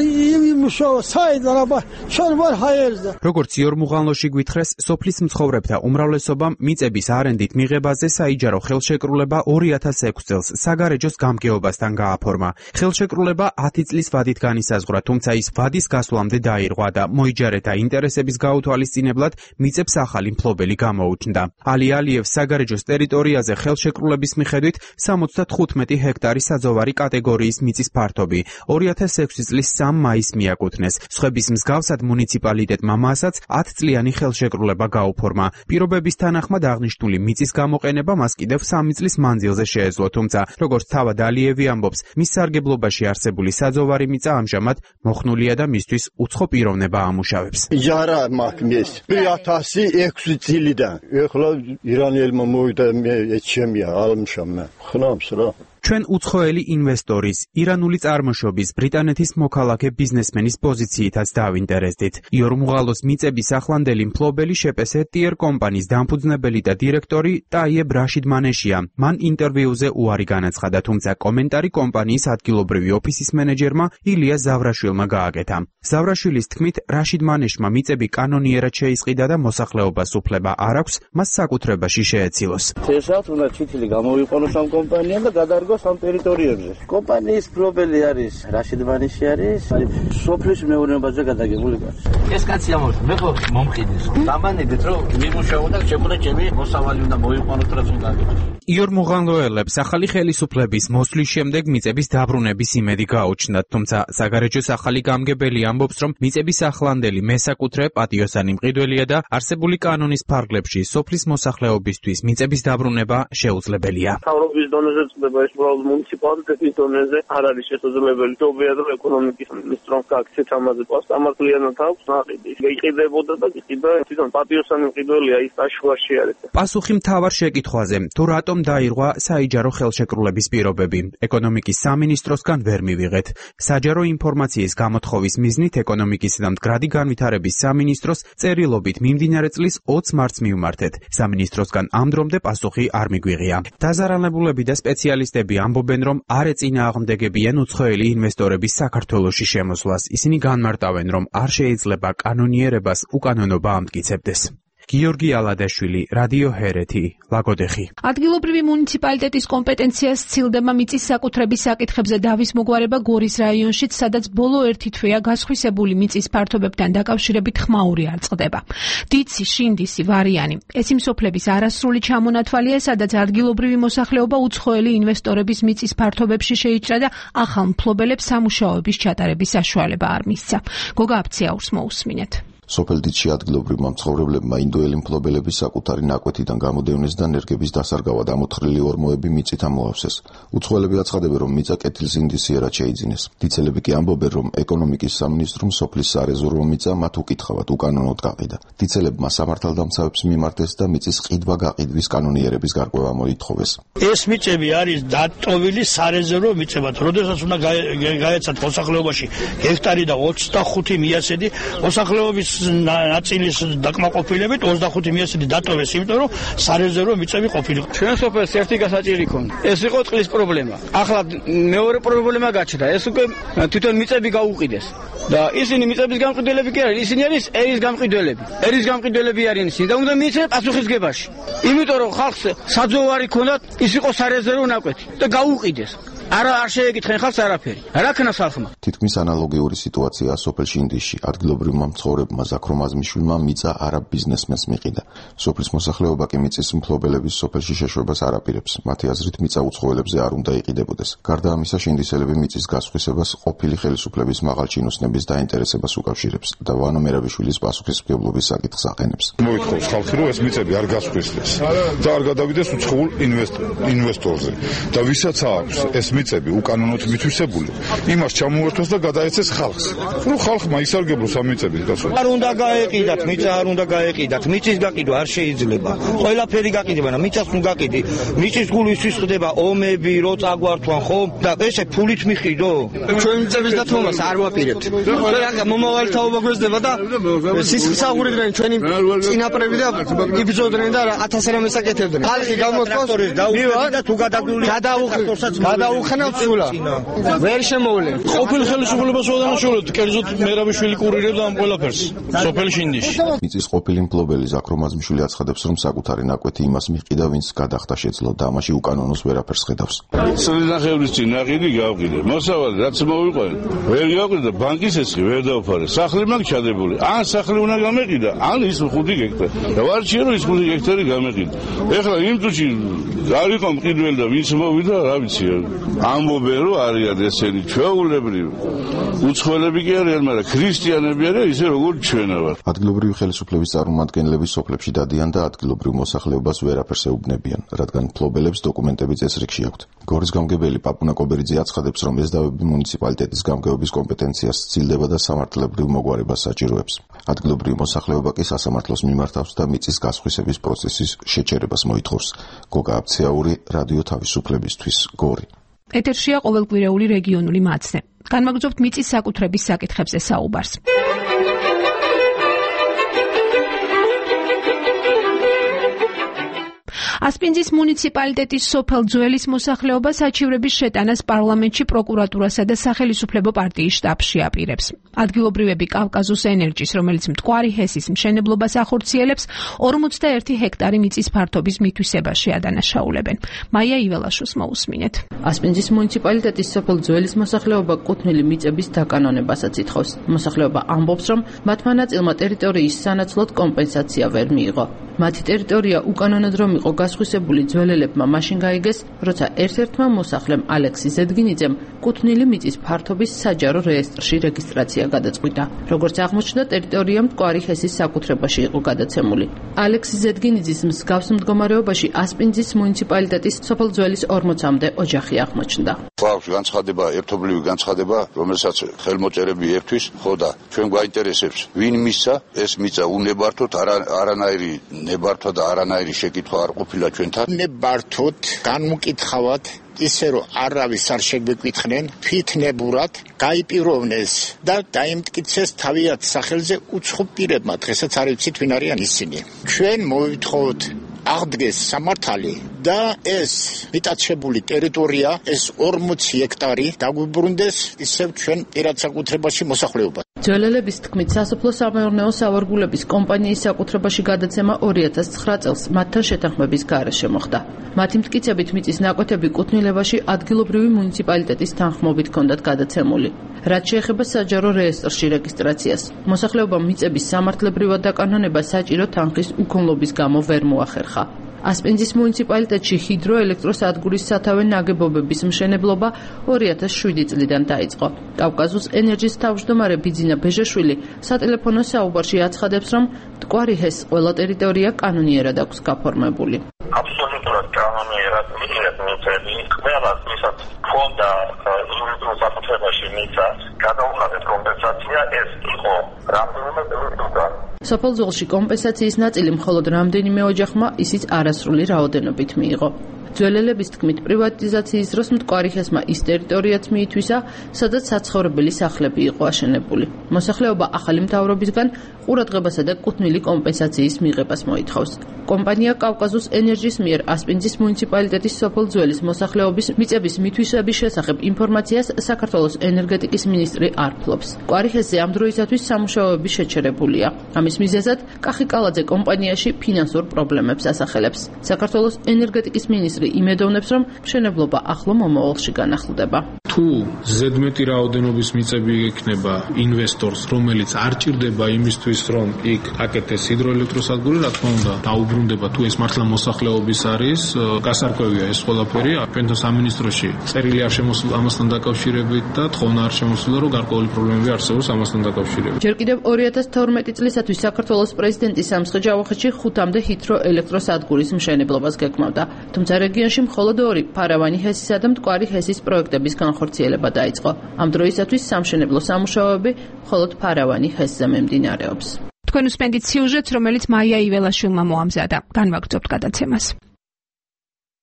იმუშაო, საიდან აბა ჩვენ ვარ ჰაერზე. როგორც იორმუღანლოში გვითხრეს, სოფლის მცხოვრებთა უმრავლესობამ მიწების არენდით მიღებაზე საიჯარო ხელშეკრულება ორი ათას ექვსი წელს საგარეჯოს გამგეობასთან გააფორმა. ხელშეკრულება ათი წლის ვადით განისაზღვრა, თუმცა ის ვადის გასვლამდე დაირღვა და მოიჯარეთა ინტერესების გაუთვალისწინებლად მიწებს ახალი მფლობელი გამოუჩნდა. ალი ალიევს საგარეჯოს ტერიტორიაზე ხელშეკრულების მიხედვით სამოცდათხუთმეტი ჰექტარი საძოვარი კატეგორიის მიწის ფართობი ორი ათას ექვსი წლის სამ მაისს მიაკუთვნეს. სხვების მსგავსად მუნიციპალიტეტმა მასაც ათი წლიანი ხელშეკრულება გაუფორმა. პირობების თანახმად აღნიშნული მიწის გამოყენება მას კიდევ სამი წლის მანძილზე შეეძლო, თუმცა როგორც თავად ალიევი ამბობს, მის სარგებლობაში არსებული საძოვარი მიწა ამჟამად მოხნულია და მისთვის უცხო პიროვნება ამუშავებს. იარა მაგნეს ორი ათასი ექვსი წლიდან ეხლა ირანელმა მოვიდა მე ეჩემია ალმშამა ხნავს რა. ჩვენ უცხოელი ინვესტორის, ირანული წარმოშობის ბრიტანეთის მოქალაქე ბიზნესმენის პოზიციითაც დავინტერესდით. იორმუღალოს მიწების ახლანდელი მფლობელი შეპესე ტიერ კომპანიის დამფუძნებელი და დირექტორი ტაიებ რაშიდ მანეშია. მან ინტერვიუზე უარი განაცხადა, თუმცა კომენტარი კომპანიის ადგილობრივი ოფისის მენეჯერმა ილია ზავრაშვილმა გააკეთა. ზავრაშვილის თქმით, რაშიდ მანეშმა მიწები კანონიერად შეისყიდა და მოსახლეობას უფლება არ აქვს მას საკუთრებაში შეეცილოს. თესავთ უნდა ჩითილი გამოვიყენოს ამ კომპანიამ და გადარგოს ამ ტერიტორიებზე. კომპანიის მფლობელი არის რაშიდ მანეში არის, სოფლის მეურნეობაზე გადაგებული კაცი. ეს კაცი ამბობს, მე ხო მომყიდის. დამანებით რომ მიმუშაო და შეგვიძლია ჩემი მოსავალი უნდა მოიყვანოთ რაც უნდა აგებოს. იორმუღანლოელებს ახალი ხელისუფლების მოსვლის შემდეგ მიწების დაბრუნების იმედი გაუჩნდათ, თუმცა საგარეჯოს ახალი გამგებელი ამბობს, რომ მიწების ახლანდელი მესაკუთრე პატიოსანი მყიდველია და არსებული კანონის ფარგლებში სოფლის მოსახლეობისთვის მიწების დაბრუნება შეუძლებელია. თავრობის დონეზე წდება ეს უბრალოდ მუნიციპალიტეტის დონეზე არ არის შესაძლებელი. თობია რომ ეკონომიკის მინისტრომ გაქცეთ ამაზე პასტამართლიანად აქვს ნაყიდი. იყიდებოდა და იყიდა თვითონ პატიოსანი მყიდველია ის აშუაში არის. პასუხი მთავარ შეკითხვაზე, თუ რატომ დაირღვა საიჯარო ხელშეკრულების პირობები, ეკონომიკის სამინისტროსგან ვერ მივიღეთ. საჯარო ინფორმაციის გამოთხოვის მიზნით ეკონომიკისა და მდგრადი განვითარების სამინისტროს წერილობით მიმდინარე წლის ოცი მარტს მივმართეთ. სამინისტროსგან ამ დრომდე პასუხი არ მიგვიღია. დაზარალებულები და სპეციალისტები ამბობენ, რომ არ ეწინააღმდეგებიან უცხოელი ინვესტორების საქართველოში შემოსვლას. ისინი განმარტავენ, რომ არ შეიძლება კანონიერებას უკანონობა ამტკიცებდეს. გიორგი ალადაშვილი, რადიო ჰერეთი, ლაგოდეხი. ადგილობრივი მუნიციპალიტეტის კომპეტენციას სცილდება მიწის საკუთრების საკითხებზე დავის მოგვარება გორის რაიონშიც, სადაც ბოლო ერთი თვეა გასხვისებული მიწის ფართობებთან დაკავშირებით ხმაური არ წყდება. დიცი, შინდისი, ვარიანი. ეს იმ სოფლების არასრული ჩამონათვალია, სადაც ადგილობრივი მოსახლეობა უცხოელი ინვესტორების მიწის ფართობებში შეიჭრა და ახალ მფლობელებს სამუშაოების ჩატარების საშუალება არ მისცა. გოგა აფციაურს მოусმინეთ. სოფელ დიცში ადგილობრივმა მცხოვრებლებმა ინდოელი მფლობელების საკუთარი ნაკვეთიდან გამოდევნეს და ნერგების დასარგავად ამოთხრილი ორმოები მიწით ამოავსეს. უცხოელები აცხადებენ, რომ მიწა კეთილსინდისიერად შეიძინეს. დიცელები კი ამბობენ, რომ ეკონომიკის სამინისტრომ სოფლის სარეზერვო მიწა მათ უკითხავად უკანონოდ გაყიდა. დიცელებმა სამართალდამცავებს მიმართეს და მიწის ყიდვა-გაყიდვის კანონიერების გარკვევა მოითხოვეს. ეს მიწები არის დატოვილი სარეზერვო მიწებად. როდესაც უნდა გაეცათ მოსახლეობაში ჰექტარი და ოცდახუთი მიასედი მოსახლეობის ნაწილის დაკმაყოფილებით ოცდახუთი მიასედი დატოვეს, იმიტომ რომ სარეზერვო მიწები ყოფილიყო. ჩვენ სოფელს ერთი გასაჭირი ქონდა. ეს იყო წყლის პრობლემა. ახლა მეორე პრობლემა გაჩნდა. ეს უკვე თვითონ მიწები გაუყიდეს. და ისინი მიწების გამყიდველები კი არის, ისინი არის ერის გამყიდველები. ერის გამყიდველები არიან ისინი და უნდა მიეცეს პასუხისგებაში. იმიტომ რომ ხალხს საძოვარი ქონდათ, ის იყო სარეზერვო ნაკვეთი და გაუყიდეს. არა არ შეეკითხენ ხალხს არაფერი. რა ქნას ხალხმა? თითქმის ანალოგიური სიტუაცია სოფელ შინდისში. ადგილობრივმა მცხოვრებმა ზაქრომ აზმიშვილმა მიწა არაბ ბიზნესმენს მიყიდა. სოფლის მოსახლეობა კი მიწის მფლობელების სოფელში შეშვებას არ აპირებს. მათი აზრით მიწა უცხოელებზე არ უნდა იყიდებოდეს. გარდა ამისა, შინდისელები მიწის გასხვისებას ყოფილი ხელისუფლების მაღალ ჩინოსნების დაინტერესებას უკავშირებს და ვანო მერაბიშვილის პასუხისმგებლობის საკითხს აყენებს. მოითხოვს ხალხი, რომ ეს მიწები არ გასხვისდეს და არ გადავიდეს უცხოურ ინვესტორზე და ვისაც აქვს ეს მიწები უკანონოდ მითვისებული, იმას ჩამოერთოს და გადაეცეს ხალხს. რომ ხალხმა ისარგებლოს ამ მიწების გასვლა. არ უნდა გაეყიდათ, მიწა არ უნდა გაეყიდათ, მიწის გაყიდვა არ შეიძლება. ყველაფერი გაყიდება და მიწას თუ გაყიდი, მიწის გულისთვის ხდება ომები, რო წაგვართვან ხო? და ესე ფულით მიხიდო? ჩვენ მიწების დათმობას არ ვაპირებთ. რა მომავალი თაობა გვესდება და სისხლსაღურებდნენ ჩვენი წინაპრები და იბრძოდნენ და ათას რამეს აკეთებდნენ. ხალხი გამოთქვას და თუ გადაგული გადაუხნევთ გადაუხნევთ სულა. ვერ შემოვლენ. ყოფილ ხელისუფლებას ვადანაშაულეთ, კერძოდ მერაბიშვილი კურირებდა ამ ყველაფერს. სოფელ შინდისში. მიწის ყოფილი მფლობელი ზაქრომ აზმიშვილი აცხადებს, რომ საკუთარი ნაკვეთი იმას მიჰყიდა, ვინც გადახდა შეძლო და ამაში უკანონოს ვერაფერს ხედავს. წინახევრის წინ ნაყიდი გავყიდე. მოსავალი რაც მოვიყვანე, ვერ გავყიდე და ბანკის ესხი ვერ დავფარე. სახლი მაგ ჩადებული. ან სახლი უნდა გამეყიდა, ან ის ხუთი გექტარი. და ვარჩიე რომ ის ხუთი გექტარი გამეყიდა. ეხლა იმ წუთში არ იყო მყიდველი და ვინც მოვიდა, რა ვიცი. ამბობენ რომ არიან ესენი ჩვეულებრივი. უცხოელები კი არიან, მაგრამ ქრისტიანები არიან ისე როგორც ჩვენ ვართ. ადგილობრივი ხელისუფლების წარმომადგენლები სოფლებში დადიან და ადგილობრივ მოსახლეობას ვერაფერს ეუბნებიან, რადგან მფლობელებს დოკუმენტები წესრიგში აქვთ. გორის გამგებელი პაპუნა კობერიძე აცხადებს, რომ ეს დავები მუნიციპალიტეტის გამგეობის კომპეტენციას სცილდება და სამართლებრივ მოგვარებას საჭიროებს. ადგილობრივი მოსახლეობა კი სასამართლოს მიმართავს და მიწის გასხვისების პროცესის შეჩერებას მოითხოვს. გოგა აბცეაური, რადიო თავისუფლებისთვის, გორი. ეთერშია ყოველკვირეული რეგიონული მაცნე. განმაგრძობთ მიწის საკუთრების საკითხებზე საუბარს. ასპინძის მუნიციპალიტეტის სოფელ ძველის მოსახლეობა საჩივრების შეტანას პარლამენტში პროკურატურასა და სახელისუფლებო პარტიის შტაბში აპირებს. ადგილობრივები კავკაზუს ენერჯის, რომელიც მტკვარი ჰესის მშენებლობას ახორციელებს, ორმოცდაერთი ჰექტარი მიწის ფართობის მითვისებაში ადანაშაულებენ. მაია იველაშოს მოусმინეთ. ასპინძის მუნიციპალიტეტის სოფელ ძველის მოსახლეობა კუთვნილი მიწების დაკანონებასაც ითხოვს. მოსახლეობა ამბობს, რომ მათმა ნაწილმა ტერიტორიის სანაცვლოდ კომპენსაცია ვერ მიიღო. მათი ტერიტორია უკანონოდ რომ იყო გასხვისებული ძველელებმა მაშინ გაიგეს, როცა ერთ-ერთმა მოსახლემ ალექსი ზედგინიძემ კუთვნილი მიწის ფართობის საჯარო რეესტრში რეგისტრაცია გადაწყვიტა. როგორც აღმოჩნდა, ტერიტორია მტკვარი ჰესის საკუთრებაში იყო გადაცემული. ალექსი ზედგინიძის მსგავს მდგომარეობაში ასპინძის მუნიციპალიტეტის სოფელ ძველის ორმოცამდე ოჯახი აღმოჩნდა. ყავს განცხადება, ერთობლივი განცხადება, რომელსაც ხელმოწერები ერთვის, ხო და ჩვენ გვაინტერესებს, ვინ მისცა ეს მიწა უნებართოთ, არანაირი ნებართვა და არანაირი შეკითხვა არ ყოფილა ჩვენთან. ნებართოთ, განმკითხავად ისე რომ არავის არ შეგვეკითხნენ, თვითნებურად გაიპიროვნეს და დაიმტკიცეს თავიანთ სახელზე უცხო პირებმა. დღესაც არ ვიცით ვინ არიან ისინი. ჩვენ მოვითხოვოთ აღდგეს სამართალი და ეს მიტაცებული ტერიტორია, ეს ორმოცი ჰექტარი დაგვიბრუნდეს ისევ ჩვენ პირად საკუთრებაში მოსახლეობა. ძველელების თქმით, სასოფლო-სამეურნეო სავარგულების კომპანიის საკუთრებაში გადაცემა ორი ათას ცხრა წელს მათთან შეთანხმების გარეშე მოხდა. მათი მტკიცებით მიწის ნაკვეთები კუთვნილებაში ადგილობრივი მუნიციპალიტეტის თანხმობით ჰქონდათ გადაცემული. რაც შეეხება საჯარო რეესტრში რეგისტრაციას, მოსახლეობამ მიწების სამართლებრივად დაკანონება საჭირო თანხის უქონლობის გამო ვერ მოახერხა. ასპინძის მუნიციპალიტეტში ჰიდროელექტროსადგურის სათავე ნაგებობების მშენებლობა ორი ათას შვიდი წლიდან დაიწყო. კავკაზუს ენერჯის თავმჯდომარე ბიძინა ბეჟაშვილი სატელეფონო საუბარში აცხადებს, რომ მტკვარი ჰესის ყველა ტერიტორია კანონიერად აქვს გაფორმებული. აბსოლუტურად კანონიერად მიწები ყველა ვისაც ფონდა იურიდიულ საკუთრებაში მიწა გადაუხადეთ კომპენსაცია, ეს იყო რამდენიმე ტერიტორია. სოფელ ძველში კომპენსაციის ნაწილი მხოლოდ რამდენიმე ოჯახმა, ისიც არასრული რაოდენობით მიიღო. ძველელების თქმით, პრივატიზაციის დროს მტკვარი ჰესმა ის ტერიტორიაც მიითვისა, სადაც საცხოვრებელი სახლები იყო აშენებული. მოსახლეობა ახალი მთავრობისგან ყურადღებასა და კუთვნილი კომპენსაციის მიღებას მოითხოვს. კომპანია კავკაზუს ენერჯის მიერ ასპინძის მუნიციპალიტეტის სოფელ ძველის მოსახლეობის მიწების მითვისების შესახებ ინფორმაციას საქართველოს ენერგეტიკის მინისტრი არ ფლობს. კვარიხესზე ამ დროისათვის სამუშაოები შეჩერებულია. ამის მიზეზად კახიკალაძე კომპანიაში ფინანსურ პრობლემებს ასახელებს. საქართველოს ენერგეტიკის მინისტრი იმედოვნებს, რომ მშენებლობა ახლო მომავალში განახლდება. თუ ზედმეტი რაოდენობის მიწები ექნება ინვესტორს, რომელიც არ ჭირდება იმისთვის, რომ იქ აკეთეს ჰიდროელექტროსადგური, რა თქმა უნდა, დაუბრუნდება თუ ეს მართლა მოსახლეობის არის, გასარკვევია ეს ყველაფერი. ჩვენთან სამინისტროში წერილი არ შემოსულა ამასთან დაკავშირებით და თხოვნა არ შემოსულა, რომ გარკვეული პრობლემები არსებობს ამასთან დაკავშირებით. ჯერ კიდევ ორი ათას თორმეტი წლისათვის საქართველოს პრეზიდენტი სამცხე-ჯავახეთში ხუთამდე ჰიდროელექტროსადგურის მშენებლობას გეკმავდა. თუმცა რეგიონში მხოლოდ ორი ფარავანი ჰესისა და მტკვარი ჰესის პროექტების განხორციელება დაიწყო. ამ დროისათვის სამშენებლო სამუშაოები მხოლოდ ფარავანი ჰესზე მიმდინარეობს. თქვენ უსმენთ სიუჟეტს, რომელიც მაია იველაშვილმა მოამზადა. განვაგრძობთ გადაცემას.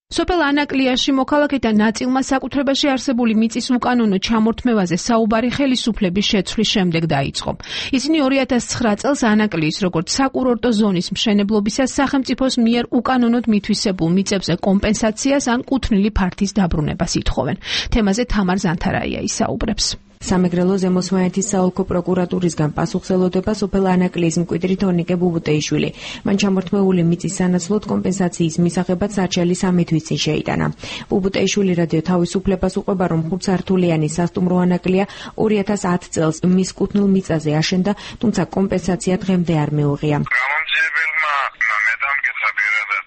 სოფელ ანაკლიაში მოქალაქეთა ნაწილმა საკუთრებაში არსებული მიწის უკანონო ჩამორთმევაზე საუბარი ხელისუფლების შეცვლის შემდეგ დაიწყო. ისინი ორი ათას ცხრა წელს ანაკლიის როგორც საკურორტო ზონის მშენებლობისას სახელმწიფოს მიერ უკანონოდ მითვისებულ მიწებზე კომპენსაციას ან კუთვნილი ფართის დაბრუნებას ითხოვენ. თემაზე თამარ ზანთარაია ისაუბრებს. სამეგრელო ზემოსვანეთის საოლქო პროკურატურისგან პასუხს ელოდება სოფელ ანაკლიის მკვიდრი თორნიკე ბუბუტეიშვილი. მან ჩამორთმეული მიწის სანაცვლოდ კომპენსაციის მისაღებად საჩელი სამი თვის წინ შეიტანა. ბუბუტეიშვილი რადიო თავისუფლებას უყვება, რომ ხუთსართულიანი სასტუმრო ანაკლია ორი ათას ათ წელს მის კუთვნილ მიწაზე აშენდა, თუმცა კომპენსაცია დღემდე არ მეუღია. გამომძიებელმა მეთამკითხა პირადად,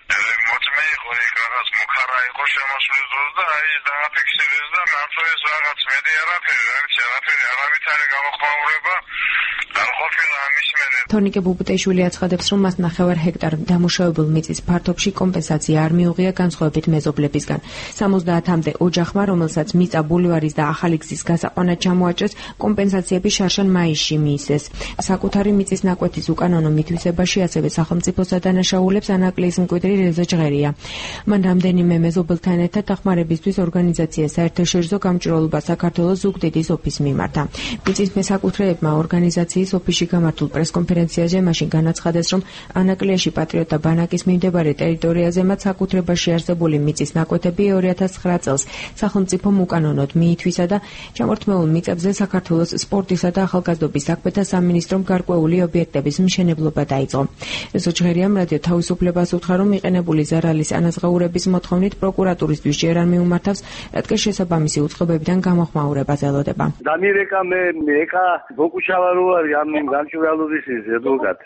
მოწმე იყო იქ რაღაც მუხარა იყო შემოსვლის დროს და აი დააფიქსირეს და მართლა ეს რაღაც მედი არაფერი, რაღაც არაფერი არავითარი გამოხმაურება არ ყოფილა ამის მერე. თორნიკე ბუბუტეიშვილი აცხადებს, რომ მას ნახევარ ჰექტარ დამუშავებულ მიწის ფართობში კომპენსაცია არ მიუღია განსხვავებით მეზობლებისგან. სამოცდაათამდე ოჯახმა, რომელსაც მიწა ბულვარის და ახალი გზის გასაყვანად ჩამოაჭრეს, კომპენსაციები შარშან მაისში მიისეს. საკუთარი მიწის ნაკვეთის უკანონო მითვისებაში ასევე სახელმწიფოს ადანაშაულებს ანაკლიის მკვიდრი რეზო ჟღერია. მან რამდენიმე მეზობელთან ერთად დახმარებისთვის ორგანიზაცია საერთაშორისო გამჭვირვალობა საქართველოს ზუგდიდის ოფისს მიმართა. მიწის მესაკუთრეებმა ორგანიზაციის ოფისში გამართულ პრესკონფერენციაზე მაშინ განაცხადეს, რომ ანაკლიაში პატრიოტთა ბანაკის მიმდებარე ტერიტორიაზე მათ საკუთრებაში არსებული მიწის ნაკვეთები ორი ათას ცხრა წელს სახელმწიფომ უკანონოდ მიითვისა და ჩამორთმეულ მიწებზე საქართველოს სპორტისა და ახალგაზრდობის საქმეთა სამინისტრომ გარკვეული ობიექტების მშენებლობა დაიწყო. რეზო ჟღერიამ რადიო თავისუფლებას უთხრა, რომ მიყენებული ზარალის ანაზღაურების მოთხოვნით პროკურატურისთვის ჯერ არ მიუმართავს, რადგან შესაბამისი უწყობებიდან გამოხმაურებას ელოდება. დამირეკა მე ეკა ბოკუშავა რო არის ამ გამჭვირვალობის ზედუგად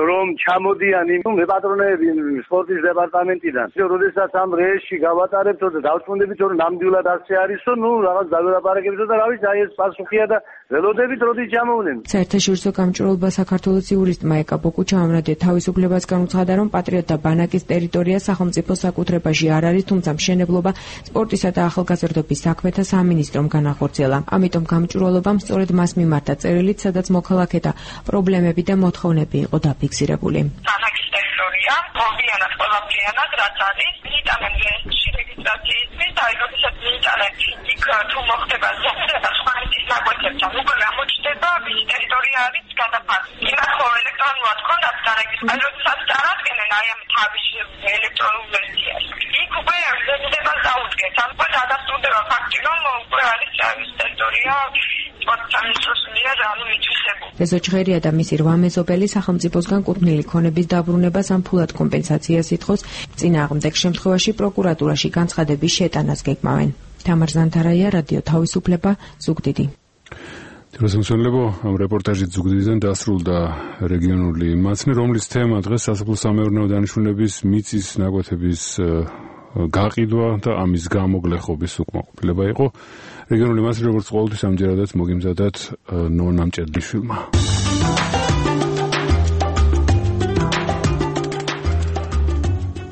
რომ ჩამოდიან იმ მეპატრონეები სპორტის დეპარტამენტიდან. როდესაც ამ რეესში გავატარებთ და დავწმუნდებით, რომ ნამდვილად ასე არისო, ნუ რაღაც დაველაპარაკებთ და რა ვიცი, აი ეს პასუხია და ველოდებით როდის ჩამოვლენ. საერთაშორისო გამჭვირვალობა საქართველოს იურისტმა ეკა ბოკუჩავამ რადიო თავისუფლებას განუცხადა, რომ პატრიოტთა ბანაკის ტერიტორია სახელმწიფოს საკუთრებაში არ არის, თუმცა მშენებლობა სპორტისა და ახალგაზრდობის საქმეთა სამინისტრომ განახორციელა. ამიტომ გამჭვირვალობამ სწორედ მას მიმართა წერილით, სადაც მოქალაქეთა პრობლემები და მოთხოვნები იყო დაფიქსირებული. ბანაკის ტერიტორია მოვიანად ყველაფრიანად რაც არის, მიიტანენ რეესტრში რეგისტრაციისთვის და როდესაც მიიტანენ იქ თუ მოხდება ზოგადად სხვა მიწის ნაკვეთებთან, უკვე გამოჩნდება ვის ტერიტორია არის გადაფასება. იმათ ხო ელექტრონულად ქონდათ დარეგისტრირებული, როდესაც წარადგენენ აი ამ თავის ელექტრონულ ვერსიას. იქ უკვე ზედებას დაუდგეთ, ან უკვე დადასტურდება ფაქტი, რომ უკვე არის ეს ტერიტორია რეზო ჟღერია და მისი რვა მეზობელი სახელმწიფოსგან კუთვნილი ქონების დაბრუნებას ან ფულად კომპენსაციას ითხოვს. წინააღმდეგ შემთხვევაში პროკურატურაში განცხადების შეტანას გეკმავენ. თამარ ზანთარაია, რადიო თავისუფლება, ზუგდიდი. თიროსმცველებო, ამ რეპორტაჟით ზუგდიდიდან დასრულდა რეგიონული მაცნე, რომლის თემა დღეს სასოფლო-სამეურნეო დანიშნულების მიწის ნაკვეთების გაყიდვა და ამის გამოგლეხობის უკმაყოფილება იყო. რეგიონული მასში როგორც ყოველთვის ამჯერადაც მოგიმზადათ ნონა მჭედლიშვილმა.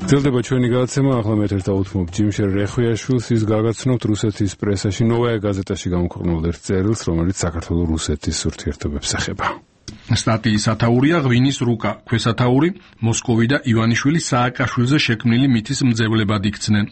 გრძელდება ჩვენი გადაცემა, ახლა მე ერთ დავუთმობ ჯიმშერ რეხვიაშვილს, ის გაგაცნობთ რუსეთის პრესაში ნოვაია გაზეტაში გამოქვეყნებულ ერთ წერილს, რომელიც საქართველოს რუსეთის ურთიერთობებს ეხება. სტატიის ათაურია ღვინის რუკა, ქვესათაური მოსკოვი და ივანიშვილი სააკაშვილზე შექმნილი მითის მძევლებად იქცნენ.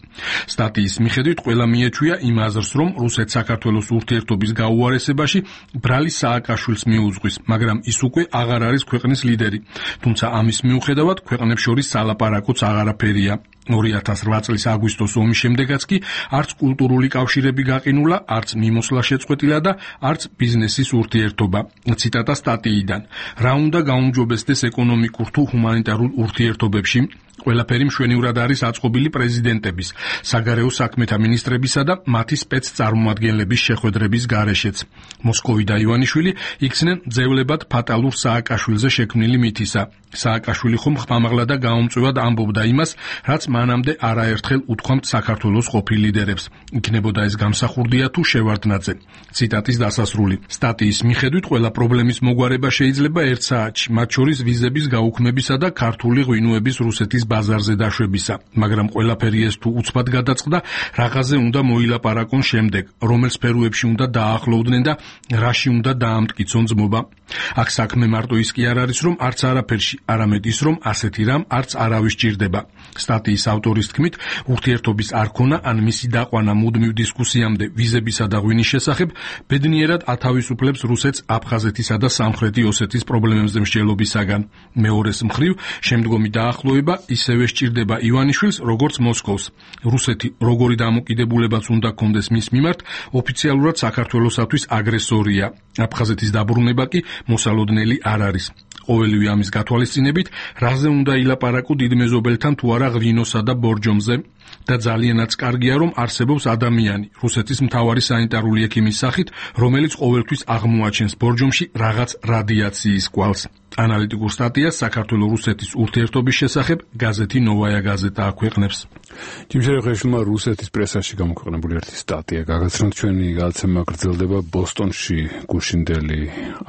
სტატიის მიხედვით ყველა მიეჩვია იმ აზრს, რომ რუსეთ-საქართველოს ურთიერთობის გაუარესებაში ბრალი სააკაშვილს მიუძღვის, მაგრამ ის უკვე აღარ არის ქვეყნის ლიდერი. თუმცა ამის მიუხედავად ქვეყნებს შორის სალაპარაკოც აღარაფერია. ორი ათას რვა წლის აგვისტოს ომის შემდეგაც კი არც კულტურული კავშირები გაყინულა, არც მიმოსვლა შეწყვეტილა და არც ბიზნესის ურთიერთობა. ციტატა სტატიიდან. რა უნდა გაუმჯობესდეს ეკონომიკურ თუ ჰუმანიტარულ ურთიერთობებში? ყველაფერი მშვენივრად არის აწყობილი პრეზიდენტების, საგარეო საქმეთა მინისტრებისა და მათი სპეცწარმოადგენლების შეხვედრების გარეშეც. მოსკოვი და ივანიშვილი იქცნენ ძევლებად ფატალურ სააკაშვილზე შექმნილი მითისა. სააკაშვილი ხომ ხმამაღლა და გაუმწვევად ამბობდა იმას, რაც მანამდე არაერთხელ უთქვამთ საქართველოს ყოფილ ლიდერებს. იქნებოდა ეს გამსახურდია თუ შევარდნაძე. ციტატის დასასრული. სტატიის მიხედვით ყველა პრობლემის მოგვარება შეიძლება ერთ საათში, მათ შორის ვიზების გაუქმებისა და ქართული ღვინოების რუსეთის ბაზარზე დაშვებისა, მაგრამ ყველაფერი ეს თუ უცბად გადაწყდა, რაღაცზე უნდა მოილაპარაკონ შემდეგ, რომელ სფეროებში უნდა დაახლოვდნენ და რაში უნდა დაამტკიცონ ძმობა. აქ საქმე მარტო ის კი არ არის, რომ არც არაფერში, არამედ ის, რომ ასეთი რამ არც არავის ჭირდება. სტატიის ავტორის თქმით, ურთიერთობის არ ქონა ან მისი დაყვანა მუდმივ დისკუსიამდე ვიზებისა და ღვინის შესახებ ბედნიერად ათავისუფლებს რუსეთს აფხაზეთისა და სამხრეთი ოსეთის პრობლემებზე მსჯელობისაგან. მეორეს მხრივ, შემდგომი დაახლოება ისევე სჭირდება ივანიშვილს, როგორც მოსკოვს. რუსეთი როგორი დამოკიდებულებაც უნდა კონდეს მის მიმართ, ოფიციალურად საქართველოსათვის აგრესორია. აფხაზეთის დაბრუნება კი მოსალოდნელი არ არის. ყოველივე ამის გათვალისწინებით, რაზე უნდა ილაპარაკო დიდ მეზობელთან თუ არა ღვინოსა და ბორჯომზე და ძალიანაც კარგია, რომ არსებობს ადამიანი, რუსეთის მთავარი სანიტარული ექიმის სახით, რომელიც ყოველთვის აღმოაჩენს ბორჯომში რაღაც რადიაციის კვალს. ანალიტიკურ სტატიას საქართველოს-რუსეთის ურთიერთობის შესახებ გაზეთი ნოვაია გაზეტა აქვეყნებს. ჯიმშერეხეშვილმა რუსეთის პრესაში გამოქვეყნებული ერთი სტატია გაგაცნოთ. ჩვენი გადაცემა გრძელდება ბოსტონში გუშინდელი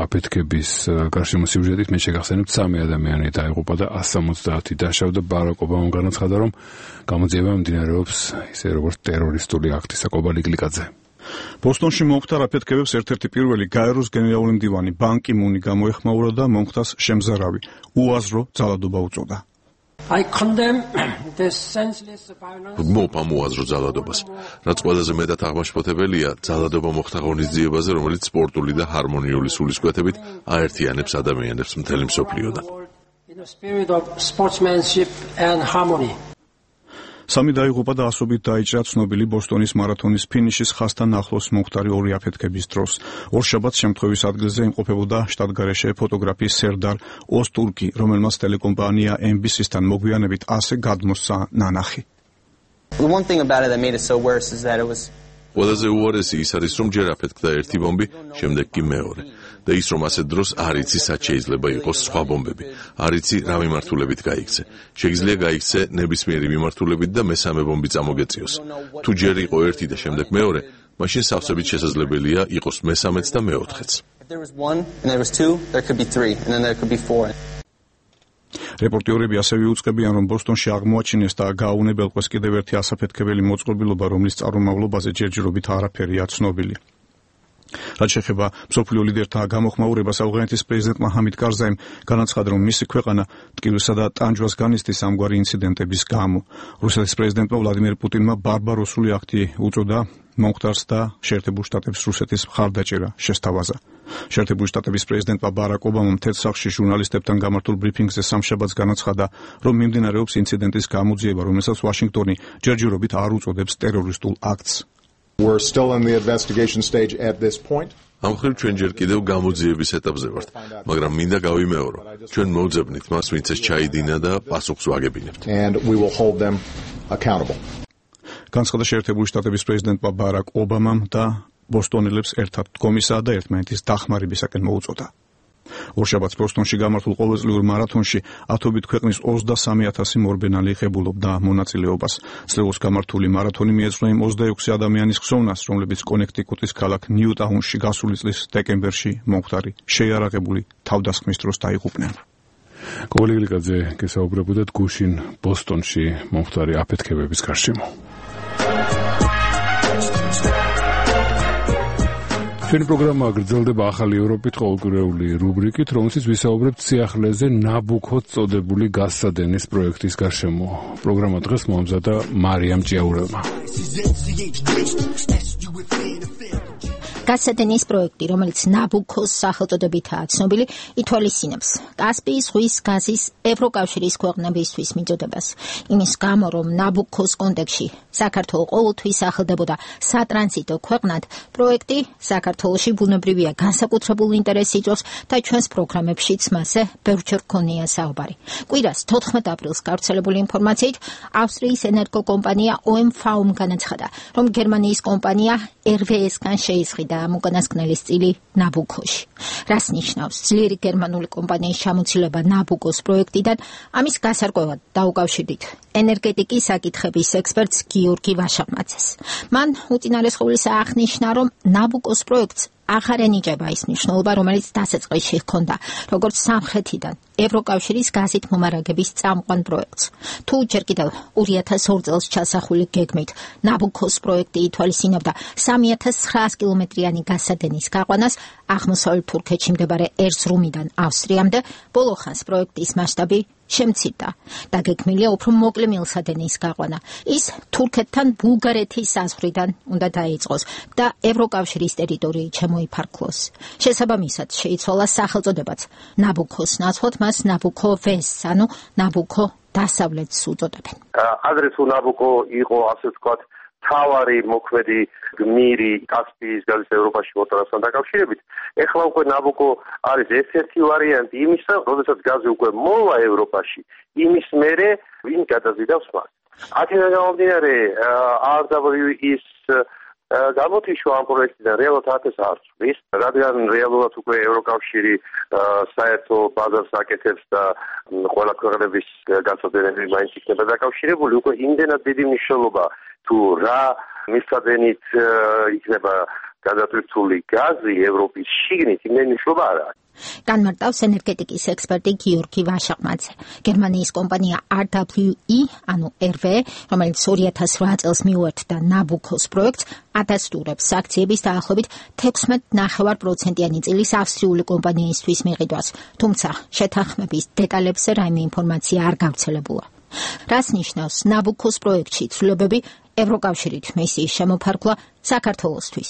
აფეთქების გარშემო სიუჟეტით. მე შეგახსენებთ, სამი ადამიანი დაიღუპა და ასი სამოცდაათი დაშავდა. ბარაკ ობამამ განაცხადა, რომ გამოძიება მიმდინარეობს ისე როგორც ტერორისტული აქტი. საკობალი გლიკაძე. ბოსტონში მომხდარ აფეთქებებს ერთ-ერთი პირველი გაეროს გენერალური მდივანი ბან კი მუნი გამოეხმაურა და მომხდარს შემზარავი, უაზრო ძალადობა უწოდა. ვგმობ ამ უაზრო ძალადობას, რაც ყველაზე მეტად აღმაშფოთებელია ძალადობა მოხდა ღონისძიებაზე, რომელიც სპორტული და ჰარმონიული სულისკვეთებით აერთიანებს ადამიანებს მთელი მსოფლიოდან. სამი დაიღუპა და ასობით დაიჭრა ცნობილი ბოსტონის მარათონის ფინიშის ხაზთან ახლოს მომხდარი ორი აფეთქების დროს. ორშაბათს შემთხვევის ადგილზე იმყოფებოდა შტატგარეშე ფოტოგრაფი სერდარ ოსტურკი, რომელმაც ტელეკომპანია ემ ბი სი-სთან მოგვიანებით ასე გადმოსცა ნანახი. ყველაზე უარესი ის არის, რომ ჯერ აფეთქდა ერთი ბომბი, შემდეგ კი მეორე. და ის, რომ ასეთ დროს არ იცი, სად შეიძლება იყოს სხვა ბომბები. არ იცი, რა მიმართულებით გაიქცე. შეიძლება გაიქცე ნებისმიერი მიმართულებით და მესამე ბომბი წამოგეწიოს. თუ ჯერ იყო ერთი და შემდეგ მეორე, მაშინ სავსებით შესაძლებელია იყოს მესამეც და მეოთხეც. რეპორტიორები ასევე უწყებიან, რომ ბოსტონში აღმოაჩინეს და გააუნებელყვეს კიდევ ერთი ასაფეთქებელი მოწყობილობა, რომლის წარმომავლობაზე ჯერჯერობით არაფერია ცნობილი. რაც შეეხება მსოფლიო ლიდერთა გამოხმაურებას, ავღანეთის პრეზიდენტმა ჰამიდ კარზაიმ განაცხადა, რომ მისი ქვეყანა ტკივილსა და ტანჯვას განიცდის ამგვარი ინციდენტების გამო. რუსეთის პრეზიდენტმა ვლადიმერ პუტინმა ბარბაროსული აქტი უწოდა მომხდარს და შეერთებულ შტატებს რუსეთის მხარდაჭერა შესთავაზა. შეერთებული შტატების პრეზიდენტმა ბარაკ ობამამ თეთრ სახლში ჟურნალისტებთან გამართულ ბრიფინგზე სამშაბათს განაცხადა, რომ მიმდინარეობს ინციდენტის გამოძიება, რომელსაც ვაშინგტონი ჯერჯერობით არ უწოდებს ტერორისტულ აქტს. We're still in the investigation stage at this point. ამ მხრივ ჩვენ ჯერ კიდევ გამოძიების ეტაპზე ვართ, მაგრამ მინდა გავიმეორო, ჩვენ მოვძებნით მას, ვინც ეს ჩაიდინა და პასუხს ვაგებინებთ. And we will hold them accountable. განცხადა შეერთებული შტატების პრეზიდენტმა ბარაკ ობამამ და ბოსტონელებს ერთად დგომისა და ერთმანეთის დახმარებისაკენ მოუწოდა. ორშაბათს ბოსტონში გამართულ ყოველწლიურ მარათონში ათობით ქვეყნის ოცდასამი ათასი მორბენალი იღებულობდა მონაწილეობას. წლევოს გამართული მარათონი მიეძღვნა იმ ოცდაექვსი ადამიანის ხსოვნას, რომლებიც კონექტიკუტის ქალაქ ნიუტაუნში გასული წლის დეკემბერში მომხდარი შეიარაღებული თავდასხმის დროს დაიღუპნენ. კობალი გლიკაძე გესაუბრებოდა გუშინ ბოსტონში მომხდარი აფეთქებების გარშემო. ჩვენი პროგრამა გრძელდება ახალი ევროპით ყოველკვირეული რუბრიკით, რომელშიც ვისაუბრებთ სიახლეზე ნაბუქოს წოდებული გაზსადენის პროექტის გარშემო. პროგრამა დღეს მოამზადა მარიამ ჭიაურელმა. გაზსადენის პროექტი, რომელიც ნაბუქოს სახელწოდებითაა ცნობილი, ითვალისწინებს კასპიის ზღვის გაზის ევროკავშირის ქვეყნებისთვის მიწოდებას. იმის გამო, რომ ნაბუქოს კონტექსტში საქართველო ყოველთვის სახელდებოდა სატრანზიტო ქვეყნად, პროექტი საქართველოში ბუნებრივია განსაკუთრებული ინტერესი იწვევს და ჩვენს პროგრამებშიც მასზე ბევრჯერ გქონია საუბარი. კვირას თოთხმეტ აპრილს გავრცელებული ინფორმაციით, ავსტრიის ენერგოკომპანია ო ემ ვ ომ განაცხადა, რომ გერმანიის კომპანია er ve es-გან შეისყიდა ამ უკანასკნელის წილი ნაბუქოში. რას ნიშნავს ძლიერი გერმანული კომპანიის ჩამოცილება ნაბუქოს პროექტიდან? ამის გასარკვევად დაუკავშირდით ენერგეტიკის საკითხების ექსპერტს გიორგი ვაშაყმაძეს. მან უწინარესხულისა აღნიშნა, რომ ნაბუქოს პროექტს აღარ ენიჭება ის მნიშვნელობა, რომელიც დასაწყისში ჰქონდა, როგორც სამხრეთიდან ევროკავშირის გაზით მომარაგების წამყვან პროექტს. თუ ჯერ კიდევ ორი ათას ორ წელს ჩასახული გეგმით ნაბუქოს პროექტი ითვალისწინებდა სამი ათას ცხრაას კილომეტრიანი გაზსადენის გაყვანას აღმოსავლეთ თურქეთში მდებარე ერზრუმიდან ავსტრიამდე, ბოლო ხანს პროექტის მასშტაბი შემცირდა. დაგეგმილია უფრო მოკლე მილსადენის გაყვანა. ის თურქეთთან ბულგარეთის საზღვრიდან უნდა დაიწყოს და ევროკავშირის ტერიტორიით შემოიფარგლოს. შესაბამისად შეიცვალა სახელწოდებაც ნაბუქოს ნაცვლად მას ნაბუქო ვეს, ანუ ნაბუქო დასავლეთს უწოდებენ. ადრე თუ ნაბუქო იყო, ასე ვთქვათ, თავარი მოქმედი გმირი კასპიის გაზის ევროპაში მოწონასთან დაკავშირებით, ეხლა უკვე ნაბუქო არის ერთ-ერთი ვარიანტი იმისა, როდესაც გაზი უკვე მოვა ევროპაში, იმის მერე ვინ გადაზიდავს მას. აქედან გამომდინარე, არ დაბლიუ ის გამოთიშვა ამ პროექტიდან რეალურად ათას არ წვის, რადგან რეალურად უკვე ევროკავშირი საერთო ბაზარს აკეთებს და ყველა ქვეყნების გაზსადენები მაინც იქნება დაკავშირებული, უკვე იმდენად დიდი მნიშვნელობა თუ რა მილსადენით იქნება გადატვირთული გაზი ევროპის შიგნით, იმდენი მნიშვნელობა არ აქვს. განმარტავს ენერგეტიკის ექსპერტი გიორგი ვაშაყმაძე. გერმანიის კომპანია არ დაბლიუ ი, ანუ er ve, რომელიც ორი ათას რვა წელს მიუერთდა ნაბუქოს პროექტს, ადასტურებს აქციების დაახლოებით თექვსმეტ ნახევარ პროცენტიანი წილის ავსტრიული კომპანიისთვის მიყიდვას, თუმცა შეთანხმების დეტალებზე რაიმე ინფორმაცია არ გავრცელებულა. რას ნიშნავს ნაბუქოს პროექტში ცვლილებები ევროკავშირით მისიის შემოფარგლა საქართველოსთვის?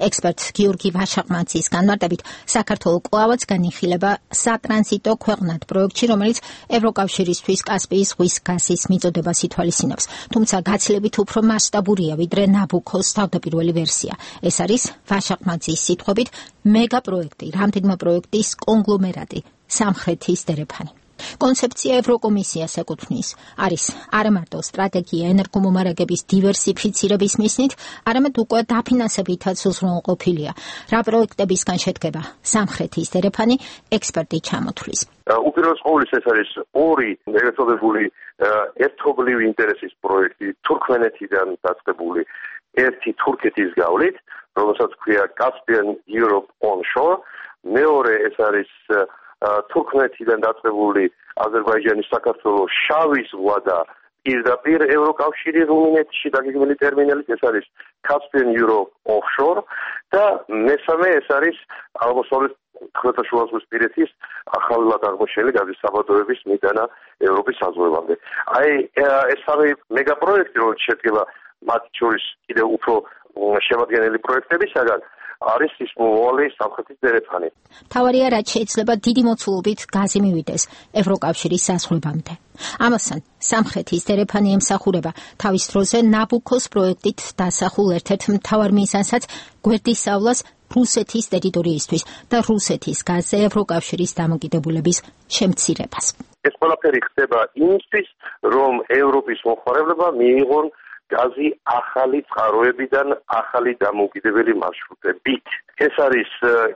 ექსპერტ გიორგი ვაშაყმაძის განმარტებით, საქართველო კვლავაც განიხილება სატრანზიტო ქვეყნად პროექტში, რომელიც ევროკავშირისთვის კასპიის ზღვის გაზის მიწოდებას ითვალისწინებს, თუმცა გაცილებით უფრო მასშტაბურია, ვიდრე ნაბუქოს თავდაპირველი ვერსია. ეს არის ვაშაყმაძის სიტყვებით მეგა პროექტი, რამდენიმე პროექტის კონგლომერატი, სამხრეთის დერეფანი. კონცეფცია ევროკომისიას ეკუთვნის, არის არა მარტო სტრატეგია ენერგომომარაგების დივერსიფიცირების მიზნით, არამედ უკვე დაფინანსებითაც უზრუნველყოფილია. რა პროექტებისგან შედგება სამხრეთის დერეფანი, ექსპერტი ჩამოთვლის. უპირველეს ყოვლისა ეს არის ორი მეგაწოდებული ერთობლივი ინტერესის პროექტი თურქმენეთიდან დაწყებული, ერთი თურქეთის გავლით, რომელსაც ქვია Caspian Europe Onshore, მეორე ეს არის თურქმენეთიდან დაწყებული აზერბაიჯანის საქართველოს შავი ზღვა და პირდაპირ ევროკავშირი რუმინეთში დაგეგმილი ტერმინალით, ეს არის Caspian Europe Offshore და მესამე ეს არის აღმოსავლეთ ხმელთაშუაზღვისპირეთის ახალად აღმოჩენილი გაზის საბადოების მიდანა ევროპის საზღვრებამდე. აი ეს სამი მეგაპროექტი, რომელიც შედგება მათ შორის კიდევ უფრო შემადგენელი პროექტებისაგან, არის ის მოვალე სამხრეთის დერეფანი. თავარია, რაც შეიძლება დიდი მოცულობით გაზი მივიდეს ევროკავშირის საზღვრებამდე. ამასთან, სამხრეთის დერეფანი ემსახურება თავის დროზე ნაბუქოს პროექტით დასახულ ერთ-ერთ მთავარ მიზანსაც გვერდისავლას რუსეთის ტერიტორიისთვის და რუსეთის გაზზე ევროკავშირის დამოკიდებულების შემცირებას. ეს ყველაფერი ხდება იმისთვის, რომ ევროპის მომხმარებლებმა მიიღონ გაზი ახალი წყაროებიდან ახალი დამოუკიდებელი მარშრუტებით. ეს არის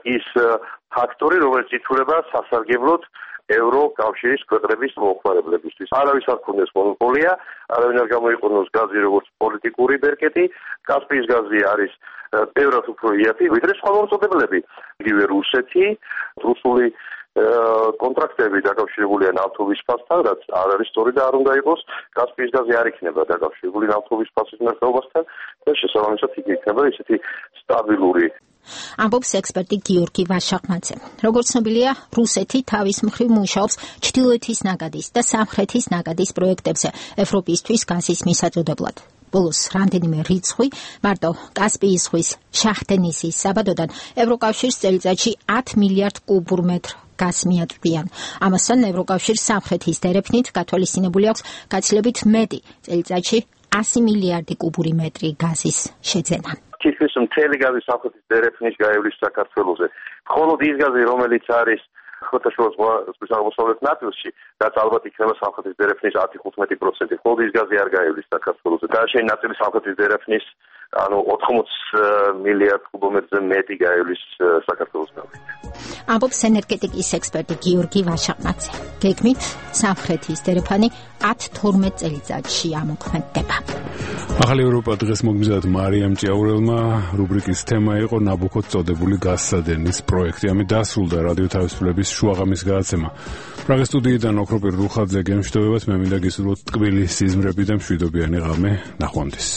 ის ფაქტორი, რომელიც ითვლება სასარგებლოდ ევროკავშირის ქვეყნების მომხმარებლებისთვის. არავის არ ქონდეს მონოპოლია, არავინ არ გამოიყენოს გაზი როგორც პოლიტიკური ბერკეტი. კასპიის გაზი არის ბევრად უფრო იაფი, ვიდრე სხვა მომწოდებლები. იგივე რუსეთი, რუსული კონტრაქტები დაკავშირებულია ნავთობის ფასთან, რაც არ არის სწორი და არ უნდა იყოს. კასპიის გაზი არ იქნება დაკავშირებული ნავთობის ფასის მერყეობასთან და შესაბამისად იქ იქნება ისეთი სტაბილური. ამბობს ექსპერტი გიორგი ვაშაყმაძე. როგორც ცნობილია, რუსეთი თავის მხრივ მუშაობს ჩრდილოეთის ნაკადის და სამხრეთის ნაკადის პროექტებზე ევროპისთვის გაზის მისაწოდებლად. ბოლოს რამდენიმე რიცხვი მარტო კასპიის ზღვის შაჰდენისის საბადოდან ევროკავშირს წელიწადში ათ მილიარდ კუბურ მეტრ გაზს მიაწვდიან. ამასთან ევროკავშირს სამხრეთის დერეფნით გათვალისწინებული აქვს გაცილებით მეტი წელიწადში ასი მილიარდი კუბური მეტრი გაზის შეძენა. თითქმის მთელი გაზი სამხრეთის დერეფნის გაივლის საქართველოზე. მხოლოდ ის გაზი, რომელიც არის ხმელთაშუა ზღვის აღმოსავლეთ ნაწილში, რაც ალბათ იქნება სამხრეთის დერეფნის ათი ხუთმეტი პროცენტი. მხოლოდ ის გაზი არ გაივლის საქართველოზე. დანარჩენი ნაწილი სამხრეთის დერეფნის ანუ ოთხმოც მილიარდ კუბომეტრზე მეტი გაივლის საქართველოს გავლით. ამბობს ენერგეტიკის ექსპერტი გიორგი ვაშაყმაძე. გეგმით სამხრეთის დერეფანი ათ თორმეტ წელიწადში ამოქმედდება. ახალი ევროპა დღეს მოგმიზადეთ მარიამ ჭიაურელმა. რუბრიკის თემა იყო ნაბუქოს წოდებული გაზსადენის პროექტი. ამით დასრულდა რადიო თავისუფლების შუაღამის გადაცემა. პრაღის სტუდიიდან ოქროპირ რუხაძე გემშვიდობებათ. მე მინდა გისურვოთ ტკბილი სიზმრები და მშვიდობიანი ღამე. ნახვამდის.